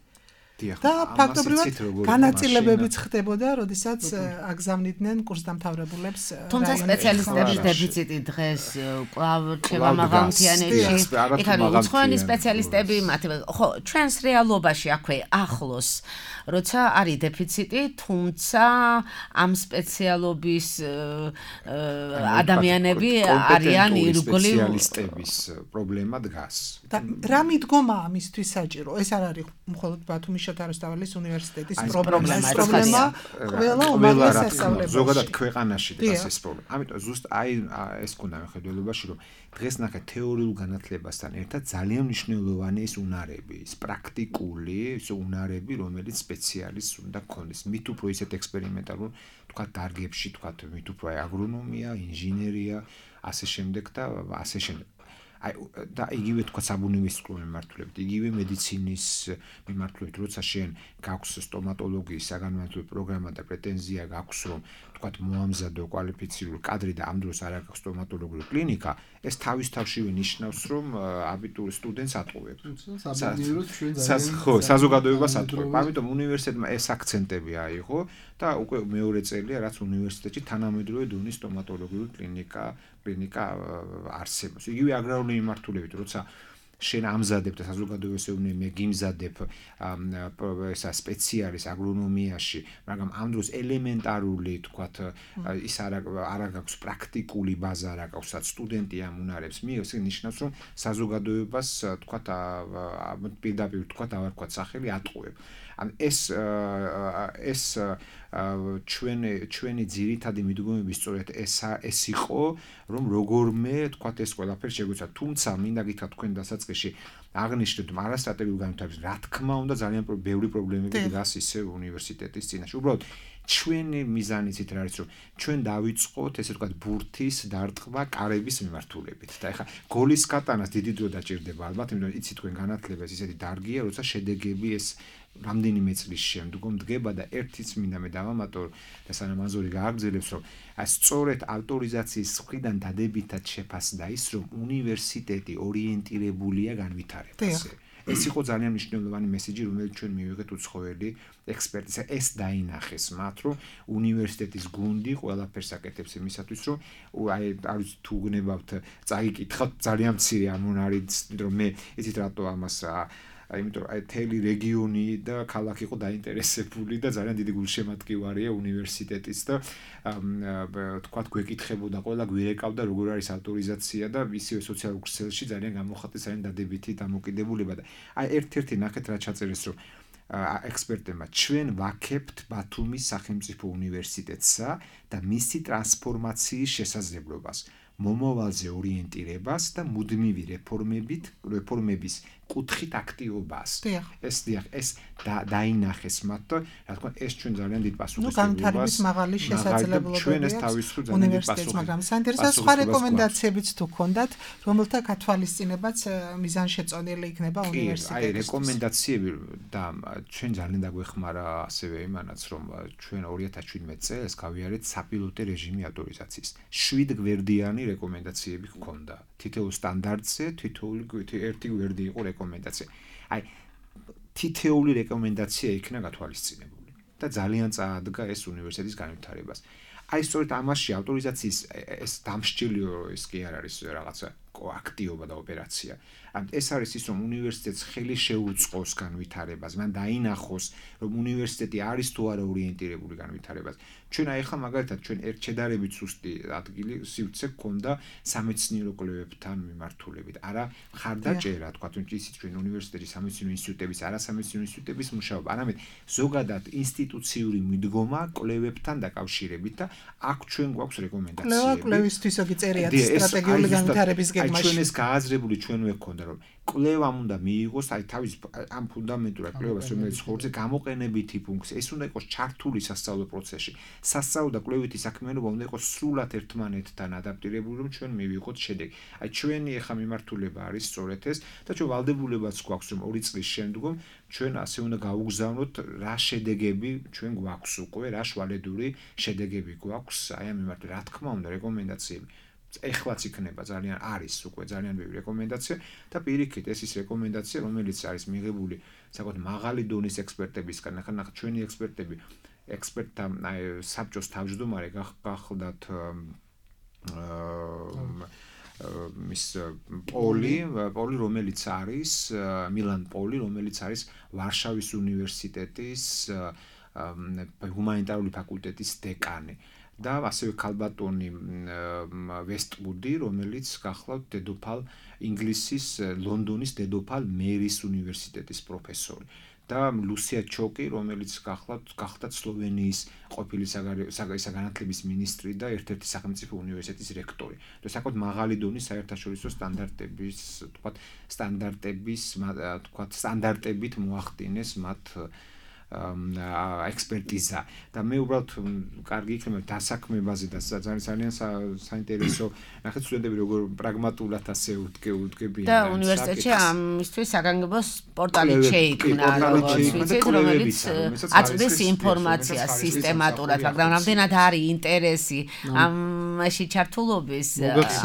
და ფაქტობრივად განაწილებებიც ხდებოდა, როდესაც აგზავნიდნენ კურსდამთავრებულებს. თუმცა სპეციალისტების დეფიციტი დღეს კვლავ რჩება მაღალმთიანეთში. იქ არის უცხოელი სპეციალისტები, მათი ხო, ჩვენს რეალობაში აქვე ახლოს, როცა არის დეფიციტი, თუმცა ამ სპეციალობის ადამიანები არიან ირგვლივ სპეციალისტების პრობლემა დგას. და რა მიდგომა ამისთვის საჭირო? ეს არ არის მხოლოდ ბათუმის შოთარუსთაველის უნივერსიტეტის პრობლემა, ეს პრობლემა ყველა უმაღლეს სასწავლებელში. ზოგადად ქვეყანაში და ეს პრობლემა. ამიტომ ზუსტ აი ეს გქონდა მიხედველობაში, რომ დღეს ნახეთ თეორიულ განათლებასთან ერთად ძალიან მნიშვნელოვანი ის უნარები, ის პრაქტიკული ის უნარები, რომელიც სპეციალისტს უნდა გქონდეს. მით უფრო ისეთ ექსპერიმენტალურ თქვა დარგებში, თქვა მით უფრო აგრონომია, ინჟინერია, ასე შემდეგ და ასე შემდეგ. აი და იგივე თქვა საბუნებისმეტყველო მიმართულებით, იგივე მედიცინის მიმართულებით, როცა შენ გაქვს სტომატოლოგიის საგანმანათლებლო პროგრამა და პრეტენზია გაქვს, რომ თქვა მოამზადო კვალიფიცირებული კადრი და ამ დროს არ აქვს სტომატოლოგიური კლინიკა, ეს თავის თავშივე ნიშნავს, რომ აბიტურ სტუდენტს ატყუებს. ხო, საზოგადოებას ატყუებს. ამიტომ უნივერსიტეტმა ეს აქცენტები აიღო და უკვე მეორე წელია, რაც უნივერსიტეტში თანამედროვე დონის სტომატოლოგიური კლინიკა კლინიკა არსებობს. იგივე აგრარული მიმართულებით, როცა შენ ამზადებ და საზოგადოების ეუბნები მე გიმზადებ ესა სპეციალის აგრონომიაში, მაგრამ ამ დროს ელემენტარული თქვათ ის არა არა გაქვს პრაქტიკული ბაზა არა გაქვს, სადაც სტუდენტი ამ უნარებს მიიღებს, ეს ნიშნავს რომ საზოგადოებას თქვათ პირდაპირ თქვათ აღარ ვქოთ სახელი ატყუებ. ან ეს ეს ჩვენი ჩვენი ძირითადი მიდგომები სწორედ ეს ეს იყო, რომ როგორმე თქვათ ეს ყველაფერი შეგვეცვა, თუმცა მინდა გითხრათ თქვენ დასაწყისში აღნიშნეთ არასტრატეგიულ განვითარებას, რა თქმა უნდა ძალიან ბევრი პრობლემები დგას ისე უნივერსიტეტის წინაშე. უბრალოდ ჩვენი მიზანიც ის არის, რომ ჩვენ დავიწყოთ ესე ვთქვათ ბურთის დარტყმა კარების მიმართულებით. და ეხლა გოლის გატანას დიდი დრო დაჭირდება ალბათ, იმიტომ რომ იცით თქვენ განათლებას ისეთი დარგია, როცა შედეგები ეს რამდენიმე წლის შემდგომ დგება და ერთიც მინდა მე დავამატო და სანამ აზური გააგრძელებს, რომ სწორედ ავტორიზაციის მხრიდან დადებითად შეფასდა ის, რომ უნივერსიტეტი ორიენტირებულია განვითარებაზე. ეს იყო ძალიან მნიშვნელოვანი მესიჯი, რომელიც ჩვენ მივიღეთ უცხოელი ექსპერტისა. ეს დაინახეს მათ, რომ უნივერსიტეტის გუნდი ყველაფერს აკეთებს იმისათვის, რომ აი არის თუ გნებავთ წაიკითხავთ ძალიან მცირე ამონარიც, რომ მე იცით რატო ამას იმიტომ რომ აი თელი რეგიონი და ქალაქი იყო დაინტერესებული და ძალიან დიდი გულშემატკივარია უნივერსიტეტის და თქვათ გვეკითხებოდა ყველა გვირეკავდა როგორ არის ავტორიზაცია და ისევე სოციალურ ქსელში ძალიან გამოხატეს ძალიან დადებითი დამოკიდებულება და აი ერთ-ერთი ნახეთ რა ჩაწერეს რომ ექსპერტებმა ჩვენ ვაქებთ ბათუმის სახელმწიფო უნივერსიტეტსა და მისი ტრანსფორმაციის შესაძლებლობას მომავალზე ორიენტირებას და მუდმივი რეფორმებით რეფორმების კუთხით აქტიობას. ეს დიახ, ეს დაინახეს მათ და რა თქმა უნდა ეს ჩვენ ძალიან დიდ პასუხისმგებლობას. ნუ განვითარების მაღალი შესაძლებლობები აქვს უნივერსიტეტს, მაგრამ საინტერესო სხვა რეკომენდაციებიც თუ გქონდათ, რომელთა გათვალისწინებაც მიზანშეწონილი იქნება უნივერსიტეტის. აი რეკომენდაციები და ჩვენ ძალიან დაგვეხმარა ასევე იმანაც, რომ ჩვენ ორი ათას შვიდმეტ წელს გავიარეთ საპილოტე რეჟიმი ავტორიზაციის. შვიდ გვერდიანი რეკომენდაციები ჰქონდა. თითოეულ სტანდარტზე თითოეული ერთი გვერდი იყო რეკომენდაცია. აი თითოეული რეკომენდაცია იქნა გათვალისწინებული და ძალიან წაადგა ეს უნივერსიტეტის განვითარებას. აი სწორედ ამაში ავტორიზაციის ეს დამსჯელიო ის კი არ არის რაღაცა აქტიობა და ოპერაცია. ან ეს არის ის რომ უნივერსიტეტს ხელი შეუწყოს განვითარებას, მან დაინახოს რომ უნივერსიტეტი არის თუ არა ორიენტირებული განვითარებას. ჩვენ აი ახლა მაგალითად ჩვენ ერთ შედარებით სუსტი ადგილი სივრცე გქონდა სამეცნიერო კვლევებთან მიმართულებით. არა მხარდაჭერა, თქვა თუნდაც ისიც ჩვენ უნივერსიტეტის სამეცნიერო ინსტიტუტების, არასამეცნიერო ინსტიტუტების მუშაობა, არამედ ზოგადად ინსტიტუციური მიდგომა კვლევებთან დაკავშირებით და აქ ჩვენ გვაქვს რეკომენდაციები. კვლევისთვისოგი წერიათ სტრატეგიული განვითარების გეგმაში. ჩვენ ეს გააზრებული ჩვენვე გქონდა რომ კვლევამ უნდა მიიღოს აი თავის ამ ფუნდამენტურად კვლევას რომელიც ხორცე გამოყენებითი ფუნქცია ეს უნდა იყოს ჩართული სასწავლო პროცესში სასწავლო და კვლევითი საქმიანობა უნდა იყოს სრულად ერთმანეთთან ადაპტირებული რომ ჩვენ მივიღოთ შედეგი აი ჩვენი ახლა მიმართულება არის სწორედ ეს და ჩვენ ვალდებულებაც გვაქვს რომ ორი წლის შემდგომ ჩვენ ასე უნდა გავუგზავნოთ რა შედეგები ჩვენ გვაქვს უკვე რა შვალედური შედეგები გვაქვს აი ამ მიმართ რა თქმა უნდა რეკომენდაციები ეხლაც იქნება ძალიან არის უკვე ძალიან ბევრი რეკომენდაცია და პირიქით ეს ის რეკომენდაცია რომელიც არის მიღებული საკუთარ მაღალი დონის ექსპერტებისგან ახლა ნახეთ ჩვენი ექსპერტები ექსპერტთა საბჭოს თავმჯდომარე გახლდათ მის პოლი პოლი რომელიც არის მილან პოლი რომელიც არის ვარშავის უნივერსიტეტის ჰუმანიტარული ფაკულტეტის დეკანი და ასევე ქალბატონი ვესტვუდი, რომელიც გახლავთ დედოფალ ინგლისის ლონდონის დედოფალ მერის უნივერსიტეტის პროფესორი და ლუსია ჩოკი, რომელიც გახლავთ გახლდათ სლოვენიის ყოფილი საგანათლების მინისტრი და ერთ-ერთი სახელმწიფო უნივერსიტეტის რექტორი. და საკუთარ მაღალი დონის საერთაშორისო სტანდარტების, თქვათ, სტანდარტების, თქვათ, სტანდარტებით მოახდინეს მათ ექსპერტიზა და მე უბრალოდ კარგი იქნება დასაქმებაზე და ძალიან ძალიან საინტერესო ნახეთ სტუდენტები როგორ პრაგმატულად ასე უთგებიან და უნივერსიტეტში ამისთვის საგანგებო პორტალი შეიქმნა რომელიც აწვდის ინფორმაციას სისტემატურად მაგრამ რამდენად არის ინტერესი ამაში ჩართულობის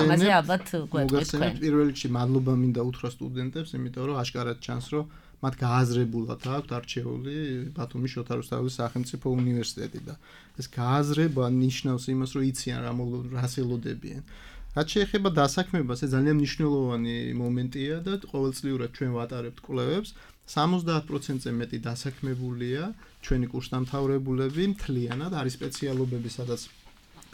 ამაზე ალბათ გვეტყვით თქვენ პირველ რიგში მადლობა მინდა უთხრა სტუდენტებს იმიტომ რომ აშკარად ჩანს რომ მათ გააზრებულად აქვთ არჩეული ბათუმის შოთა რუსთაველის სახელმწიფო უნივერსიტეტი და ეს გააზრება ნიშნავს იმას რომ იციან რა რას ელოდებიან. რაც შეეხება დასაქმებას, ეს ძალიან მნიშვნელოვანი მომენტია და ყოველწლიურად ჩვენ ვატარებთ კვლევებს. სამოცდაათ პროცენტზე მეტი დასაქმებულია ჩვენი კურსდამთავრებულები მთლიანად, არის სპეციალობები, სადაც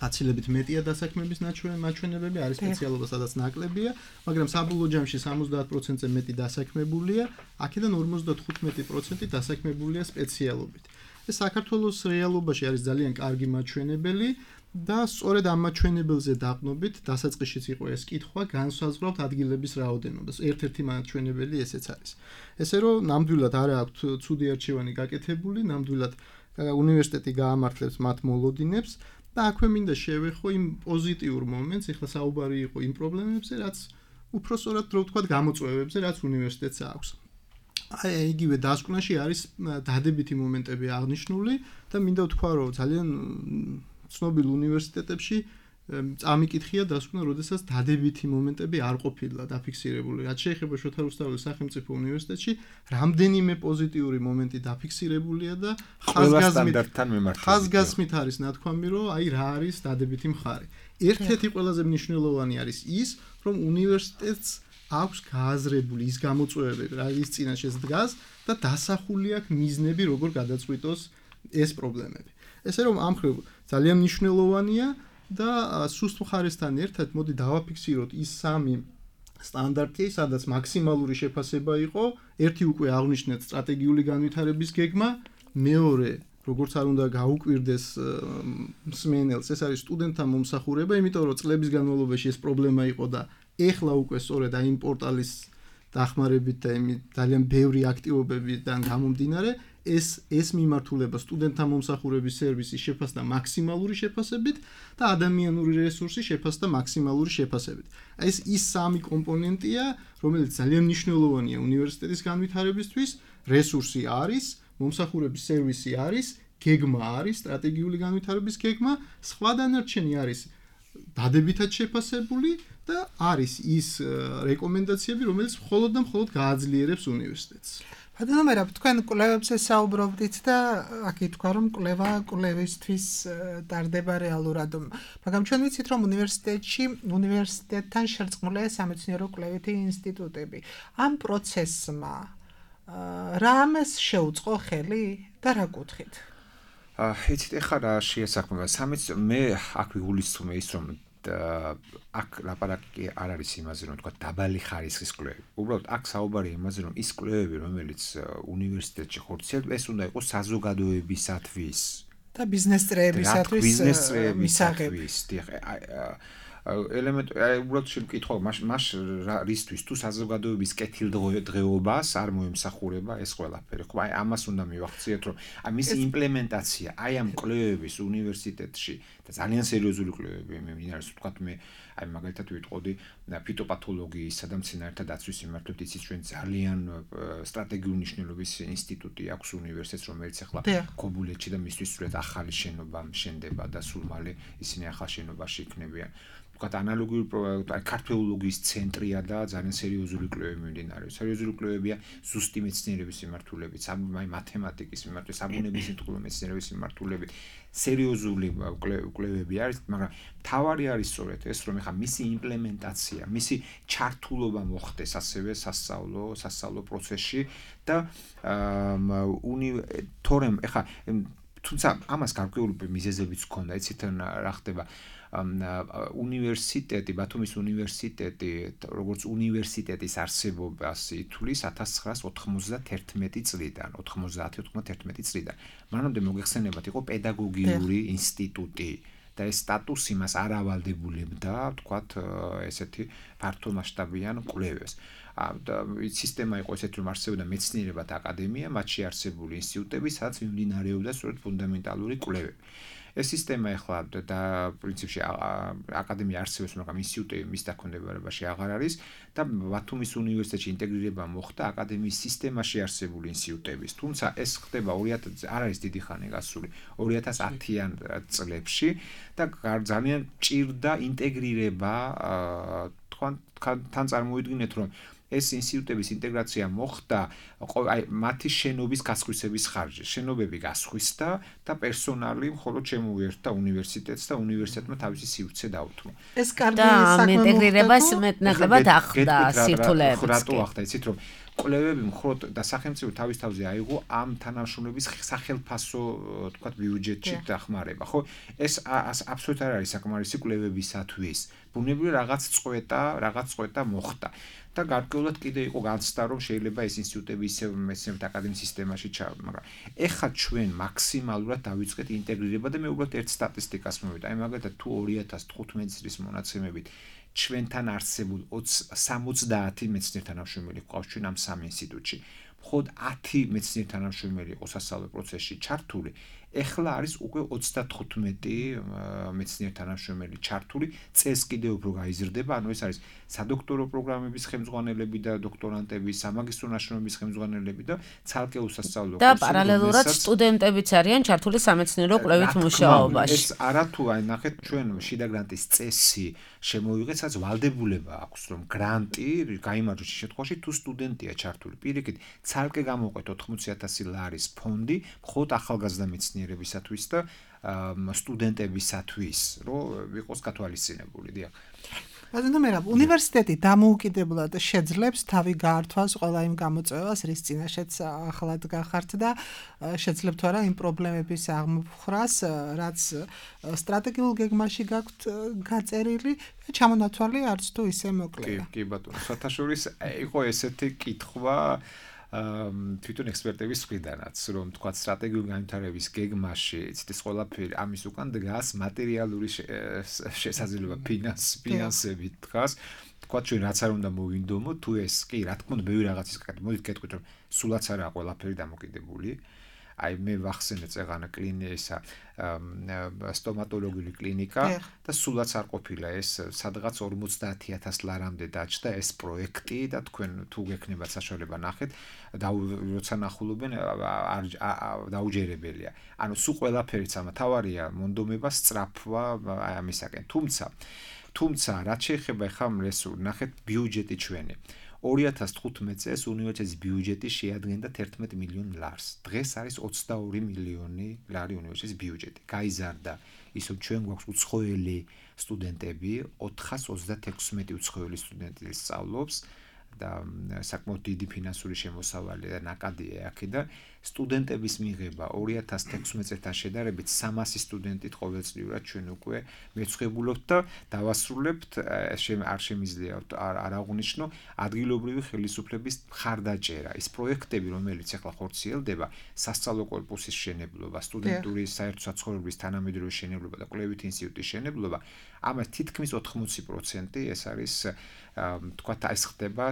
გაცილებით მეტია დასაქმების მაჩვენებები, არის სპეციალობა, სადაც ნაკლებია, მაგრამ საბოლოო ჯამში სამოცდაათ პროცენტზე მეტი დასაქმებულია, აქედან ორმოცდათხუთმეტი პროცენტი დასაქმებულია სპეციალობით. ეს საქართველოს რეალობაში არის ძალიან კარგი მაჩვენებელი და სწორედ ამ მაჩვენებელზე დაყნობით დასაწყისშიც იყო ეს კითხვა, განსაზღვრავთ ადგილების რაოდენობას. ერთ-ერთი მაჩვენებელი ესეც არის. ესე რომ ნამდვილად არ აქვს ცუდი არჩევანი გაკეთებული, ნამდვილად უნივერსიტეტი გაამართლებს მათ მოლოდინებს და აქვე მინდა შევეხო იმ პოზიტიურ მომენტს, ეხლა საუბარი იყო იმ პრობლემებზე, რაც უფრო სწორად რო ვთქვათ, გამოწვევებზე, რაც უნივერსიტეტს აქვს. აი იგივე დასკვნაში არის დადებითი მომენტები აღნიშნული და მინდა ვთქვა, რომ ძალიან ცნობილ უნივერსიტეტებში წამიკითხია დასკვნა, როდესაც დადებითი მომენტები არ ყოფილა დაფიქსირებული. რაც შეეხება შოთა რუსთაველის სახელმწიფო უნივერსიტეტში, რამდენიმე პოზიტიური მომენტი დაფიქსირებულია და ხაზგასმით არის ნათქვამი, რომ აი რა არის დადებითი მხარე. ერთ-ერთი ყველაზე მნიშვნელოვანი არის ის, რომ უნივერსიტეტს აქვს გააზრებული ის გამოწვევები, რის წინაშე დგას და დასახული აქვს მიზნები, როგორ გადაწყვიტოს ეს პრობლემები. ესე რომ ამ მხრივ ძალიან მნიშვნელოვანია და სუსტ მხარესთან ერთად მოდი დავაფიქსიროთ ის სამი სტანდარტი, სადაც მაქსიმალური შეფასება იყო, ერთი უკვე აღნიშნეთ სტრატეგიული განვითარების გეგმა, მეორე როგორც არ უნდა გაუკვირდეს მსმენელს, ეს არის სტუდენტთა მომსახურება, იმიტომ რომ წლების განმავლობაში ეს პრობლემა იყო და ეხლა უკვე სწორედ აი იმ პორტალის დახმარებით და იმ ძალიან ბევრი აქტივობებიდან გამომდინარე ეს ეს მიმართულება სტუდენტთა მომსახურების სერვისი შეფასდა მაქსიმალური შეფასებით და ადამიანური რესურსი შეფასდა მაქსიმალური შეფასებით. აი ეს ის სამი კომპონენტია, რომელიც ძალიან მნიშვნელოვანია უნივერსიტეტის განვითარებისთვის, რესურსი არის, მომსახურების სერვისი არის, გეგმა არის, სტრატეგიული განვითარების გეგმა, სხვა დანარჩენი არის დადებითად შეფასებული და არის ის რეკომენდაციები, რომელიც მხოლოდ და მხოლოდ გააძლიერებს უნივერსიტეტს. ბატონო მერაბ, თქვენ კვლევებზე საუბრობდით და აქ ითქვა, რომ კვლევა კვლევისთვის ტარდება რეალურად. მაგრამ ჩვენ ვიცით, რომ უნივერსიტეტში, უნივერსიტეტთან შერწყმულია სამეცნიერო კვლევითი ინსტიტუტები. ამ პროცესმა რამეს შეუწყო ხელი და რა კუთხით? აა, იცით, ეხლა რა შეესაბამება სამეცნიერო მე აქ ვიგულისხმე ის, რომ აქ ლაპარაკი არ არის იმაზე, რომ თქვა დაბალი ხარისხის კვლევები. უბრალოდ აქ საუბარია იმაზე, რომ ის კვლევები, რომელიც უნივერსიტეტში ხორციელდება, ეს უნდა იყოს საზოგადოებისათვის და ბიზნეს წრეებისათვის მისაღების. ელემენტი უბრალოდ შემკითხვა, მას რისთვის თუ საზოგადოების კეთილდღეობას არ მოემსახურება ეს ყველაფერი. ხო, აი ამას უნდა მივახციოთ, რომ აი მისი იმპლემენტაცია, აი ამ კვლევების უნივერსიტეტში და ძალიან სერიოზული კვლევები მე მინდა ვთქვათ მე აი მაგალითად ვიტყოდი ფიტოპათოლოგიისა და მცენარეთა დაცვის მიმართულებით იცით ჩვენ ძალიან სტრატეგიული მნიშვნელობის ინსტიტუტი აქვს უნივერსიტეტს, რომელიც ახლა ქობულეთში და მისთვის სრულად ახალი შენობა შენდება და სულ მალე ისინი ახალ შენობაში იქნებიან. ვთქვათ ანალოგიური ქართველოლოგიის ცენტრია და ძალიან სერიოზული კვლევები მიმდინარეობს. სერიოზული კვლევებია ზუსტი მეცნიერების მიმართულებით, აი მათემატიკის მიმართულებით, საბუნების სიტყვის მეცნიერების მიმართულებით. სერიოზული კვლევები არის, მაგრამ თავარი არის სწორედ ეს, რომ ეხა მისი იმპლემენტაცია, მისი ჩართულობა მოხდეს ასევე სასწავლო, სასწავლო პროცესში და თორემ ეხა თუმცა ამას გარკვეული მიზეზებიც ჰქონდა, იცით რა ხდება უნივერსიტეტი, ბათუმის უნივერსიტეტი, როგორც უნივერსიტეტის არსებობას ითვლის ათას ცხრაას ოთხმოცდათერთმეტი წლიდან, ოთხმოცდაათი ოცდაათი წლიდან. მანამდე მოგეხსენებათ, იყო პედაგოგიური ინსტიტუტი და ეს სტატუსი მას არ ავალდებულებდა, თქვათ, ესეთი ფართო მასშტაბიან კვლევებს. და სისტემა იყო ესეთი, რომ არსებობდა მეცნიერებათა აკადემია, მათში არსებული ინსტიტუტები, სადაც მიმდინარეობდა სწორედ ფუნდამენტალური კვლევები. ეს სისტემა ახლა და პრინციპში აკადემია არსებობს, მაგრამ ინსტიტუტები მის დაქვემდებარებაში აღარ არის და ბათუმის უნივერსიტეტში ინტეგრირება მოხდა აკადემიის სისტემაში არსებული ინსტიტუტების. თუმცა ეს ხდება ორი ათასი არ არის დიდი ხანი გასული ორი ათას ათიან წლებში და ძალიან ჭირდა ინტეგრირება თან წარმოიდგინეთ, რომ ეს ინსტიტუტების ინტეგრაცია მოხდა აი მათი შენობის გასხვისების ხარჯზე. შენობები გასხვისდა და პერსონალი მხოლოდ შემოუერთდა უნივერსიტეტს და უნივერსიტეტმა თავისი სივრცე დაუთმო. ეს კარგი საქმე და ინტეგრირებას მეტნაკლებად ახდა სირთულეებით. რატო ახდა იცით რომ კვლევები მხოლოდ და სახელმწიფო თავის თავზე აიღო ამ თანამშრომლობის სახელფასო თქვათ ბიუჯეტში დახმარება, ხო? ეს აბსოლუტურად არ არის საკმარისი კვლევებისათვის. ბუნებრივი რაღაც წვეტა, რაღაც წვეტა მოხდა. და გარკვეულად კიდე იყო განცდა რომ შეიძლება ეს ინსტიტუტები ისევ მეცნიერებათა აკადემიის სისტემაში ჩავ, მაგრამ ეხლა ჩვენ მაქსიმალურად დავიწყეთ ინტეგრირება და მე უბრალოდ ერთ სტატისტიკას მოვიდა. აი მაგალითად თუ ორი ათას თხუთმეტი წლის მონაცემებით ჩვენთან არსებულ სამოცდაათი მეცნიერ თანამშრომელი გვყავს ჩვენ ამ სამ ინსტიტუტში. მხოლოდ ათი მეცნიერ თანამშრომელი იყო სასწავლო პროცესში ჩართული. ეხლა არის უკვე ოცდათხუთმეტი მეცნიერ თანამშრომელი ჩართული, წელს კიდევ უფრო გაიზრდება, ანუ ეს არის სადოქტორო პროგრამების ხელმძღვანელები და დოქტორანტები, სამაგისტრო ნაშრომების ხელმძღვანელები და ცალკე უსასწავლო და პარალელურად სტუდენტებიც არიან ჩართული სამეცნიერო კვლევით მუშაობაში. ეს არა თუ აი ნახეთ ჩვენ შიდა გრანტის წესი შემოვიღეთ, სადაც ვალდებულება აქვს რომ გრანტი გაიმარჯვოს შემთხვევაში თუ სტუდენტია ჩართული. პირიქით, ცალკე გამოყვეთ ოთხმოცი ათასი ლარის ფონდი, მხოლოდ ახალგაზრდა მეცნიერებისათვის და სტუდენტებისათვის, რომ იყოს გათვალისწინებული, დიახ. ბატონო მერაბ, უნივერსიტეტი დამოუკიდებლად შეძლებს თავი გაართვას ყველა იმ გამოწვევას, რის წინაშეც ახლად გახართ და შეძლებთ თუ არა იმ პრობლემების აღმოფხრას, რაც სტრატეგიულ გეგმაში გაქვთ გაწერილი, ჩამონათვალი არც თუ ისე მოკლეა. კი, კი ბატონო, საერთაშორის იყო ესეთი კითხვა თვითონ ექსპერტების მხრიდანაც, რომ თქვა სტრატეგიული განვითარების გეგმაში, იცით ეს ყველაფერი ამის უკან დგას მატერიალური შესაძლებლობა ფინანსებით დგას. თქვა ჩვენ რაც არ უნდა მოვინდომოთ, თუ ეს კი, რა თქმა უნდა, ბევრი რაღაცის კეთეთ, მოდით გეტყვით, რომ სულაც არა ყველაფერი დამოკიდებული. აი მე ვახსენე წეღანა კლინიკა, სტომატოლოგიური კლინიკა და სულაც არ ყოფილა ეს სადღაც ორმოცდაათი ათას ლარამდე დაჭდა ეს პროექტი და თქვენ თუ გექნებათ საშუალება ნახეთ და როცა ნახულობენ დაუჯერებელია. ანუ სულ ყველაფერიც ამა თავარია მონდომება სწრაფვა აი ამისაკენ. თუმცა თუმცა რაც შეეხება ხა რესურს ნახეთ ბიუჯეტი ჩვენი ორი ათას თხუთმეტი წელს უნივერსიტეტის ბიუჯეტი შეადგენდა თერთმეტ მილიონ ლარს. დღეს არის ოცდაორი მილიონი ლარი უნივერსიტეტის ბიუჯეტი. გაიზარდა ის რომ ჩვენ გვაქვს უცხოელი სტუდენტები, ოთხას ოცდათექვსმეტი უცხოელი სტუდენტი სწავლობს და საკმაოდ დიდი ფინანსური შემოსავალი და ნაკადია აქედან. სტუდენტების მიღება ორი ათას თექვსმეტ წელთან შედარებით სამასი სტუდენტით ყოველწლიურად ჩვენ უკვე მეცხვებულობთ და დავასრულებთ არ შემიძლია არ აღუნიშნო ადგილობრივი ხელისუფლების მხარდაჭერა. ის პროექტები, რომელიც ახლა ხორციელდება, სასწავლო კორპუსის შენებლობა, სტუდენტური საერთო საცხოვრებლის თანამედროვე შენებლობა და კვლევით ინსტიტუტის შენებლობა, ამას თითქმის ოთხმოცი პროცენტი ეს არის თქვა ეს ხდება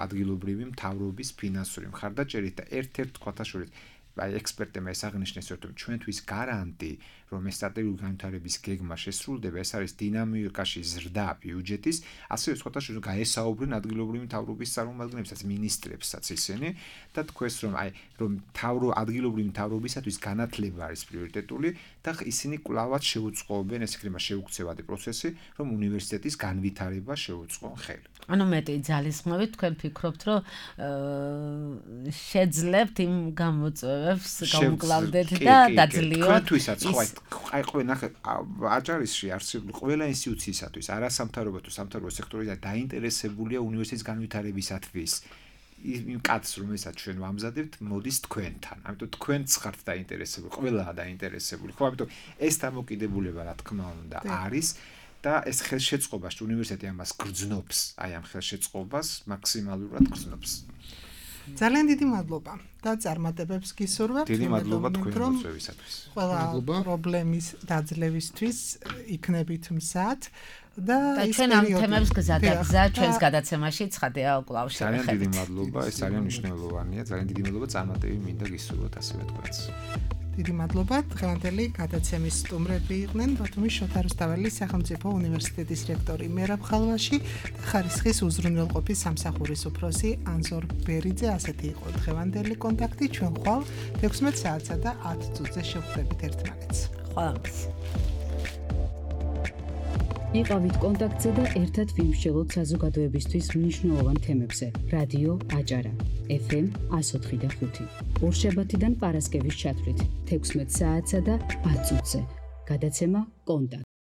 ადგილობრივი მთავრობის ფინანსური მხარდაჭერით და ერთ-ერთ თქვათა შორის აი ექსპერტებმა ეს აღნიშნეს, რომ ჩვენთვის გარანტი, რომ ეს სტრატეგიული განვითარების გეგმა შესრულდება, ეს არის დინამიკაში ზრდა ბიუჯეტის, ასევე სხვათა შორის გაესაუბრნენ ადგილობრივი მთავრობის წარმომადგენლებსაც, მინისტრებსაც ისინი და თქვეს, რომ აი რომ თავრო ადგილობრივი მთავრობისათვის განათლება არის პრიორიტეტული და ისინი კვლავაც შეუწყობენ ეს იქნება შეუქცევადი პროცესი, რომ უნივერსიტეტის განვითარება შეუწყონ ხელი. ანუ მეტი ძალისხმევით თქვენ ფიქრობთ, რომ შეძლებთ იმ გამოწვევებს გამკლავდეთ და დაძლიოთ. თქვენთვისაც ხო აი ყველა ნახე აჭარისში არსებული ყველა ინსტიტუციისათვის არასამთავრობო თუ სამთავრობო სექტორიდან დაინტერესებულია უნივერსიტეტის განვითარებისათვის. იმ კაცს რომელსაც ჩვენ ვამზადებთ, მოდის თქვენთან. ამიტომ თქვენც ხართ დაინტერესებული, ყველაა დაინტერესებული. ხო, ამიტომ ეს დამოკიდებულება რა თქმა უნდა არის და ეს ხელშეწყობას უნივერსიტეტი ამას გრძნობს, აი ამ ხელშეწყობას მაქსიმალურად გრძნობს. ძალიან დიდი მადლობა და წარმატებებს გისურვებთ. დიდი მადლობა თქვენ მოწვევისათვის. ყველა პრობლემის დაძლევისთვის იქნებით მზად და ჩვენ ამ თემებს გზადაგზა ჩვენს გადაცემაში ცხადია უკვლავ შევეხებით. ძალიან დიდი მადლობა, ეს ძალიან მნიშვნელოვანია, ძალიან დიდი მადლობა წარმატები მინდა გისურვოთ ასევე თქვენს. დიდი მადლობა. დღევანდელი გადაცემის სტუმრები იყვნენ ბათუმის შოთა რუსთაველის სახელმწიფო უნივერსიტეტის რექტორი მერაბ ხალვაში და ხარისხის უზრუნველყოფის სამსახურის უფროსი ანზორ ბერიძე. ასეთი იყო დღევანდელი კონტაქტი. ჩვენ ხვალ თექვსმეტ საათსა და ათ წუთზე შევხვდებით ერთმანეთს. ხვალამდე. იყავით კონტაქტზე და ერთად ვიმსჯელოთ საზოგადოებისთვის მნიშვნელოვან თემებზე. რადიო აჭარა ეფ ემ εκατო ოთხი და ხუთი. ორშაბათიდან პარასკევის ჩათვლით თექვსმეტ საათსა და ათ წუთზე. გადაცემა კონტაქტ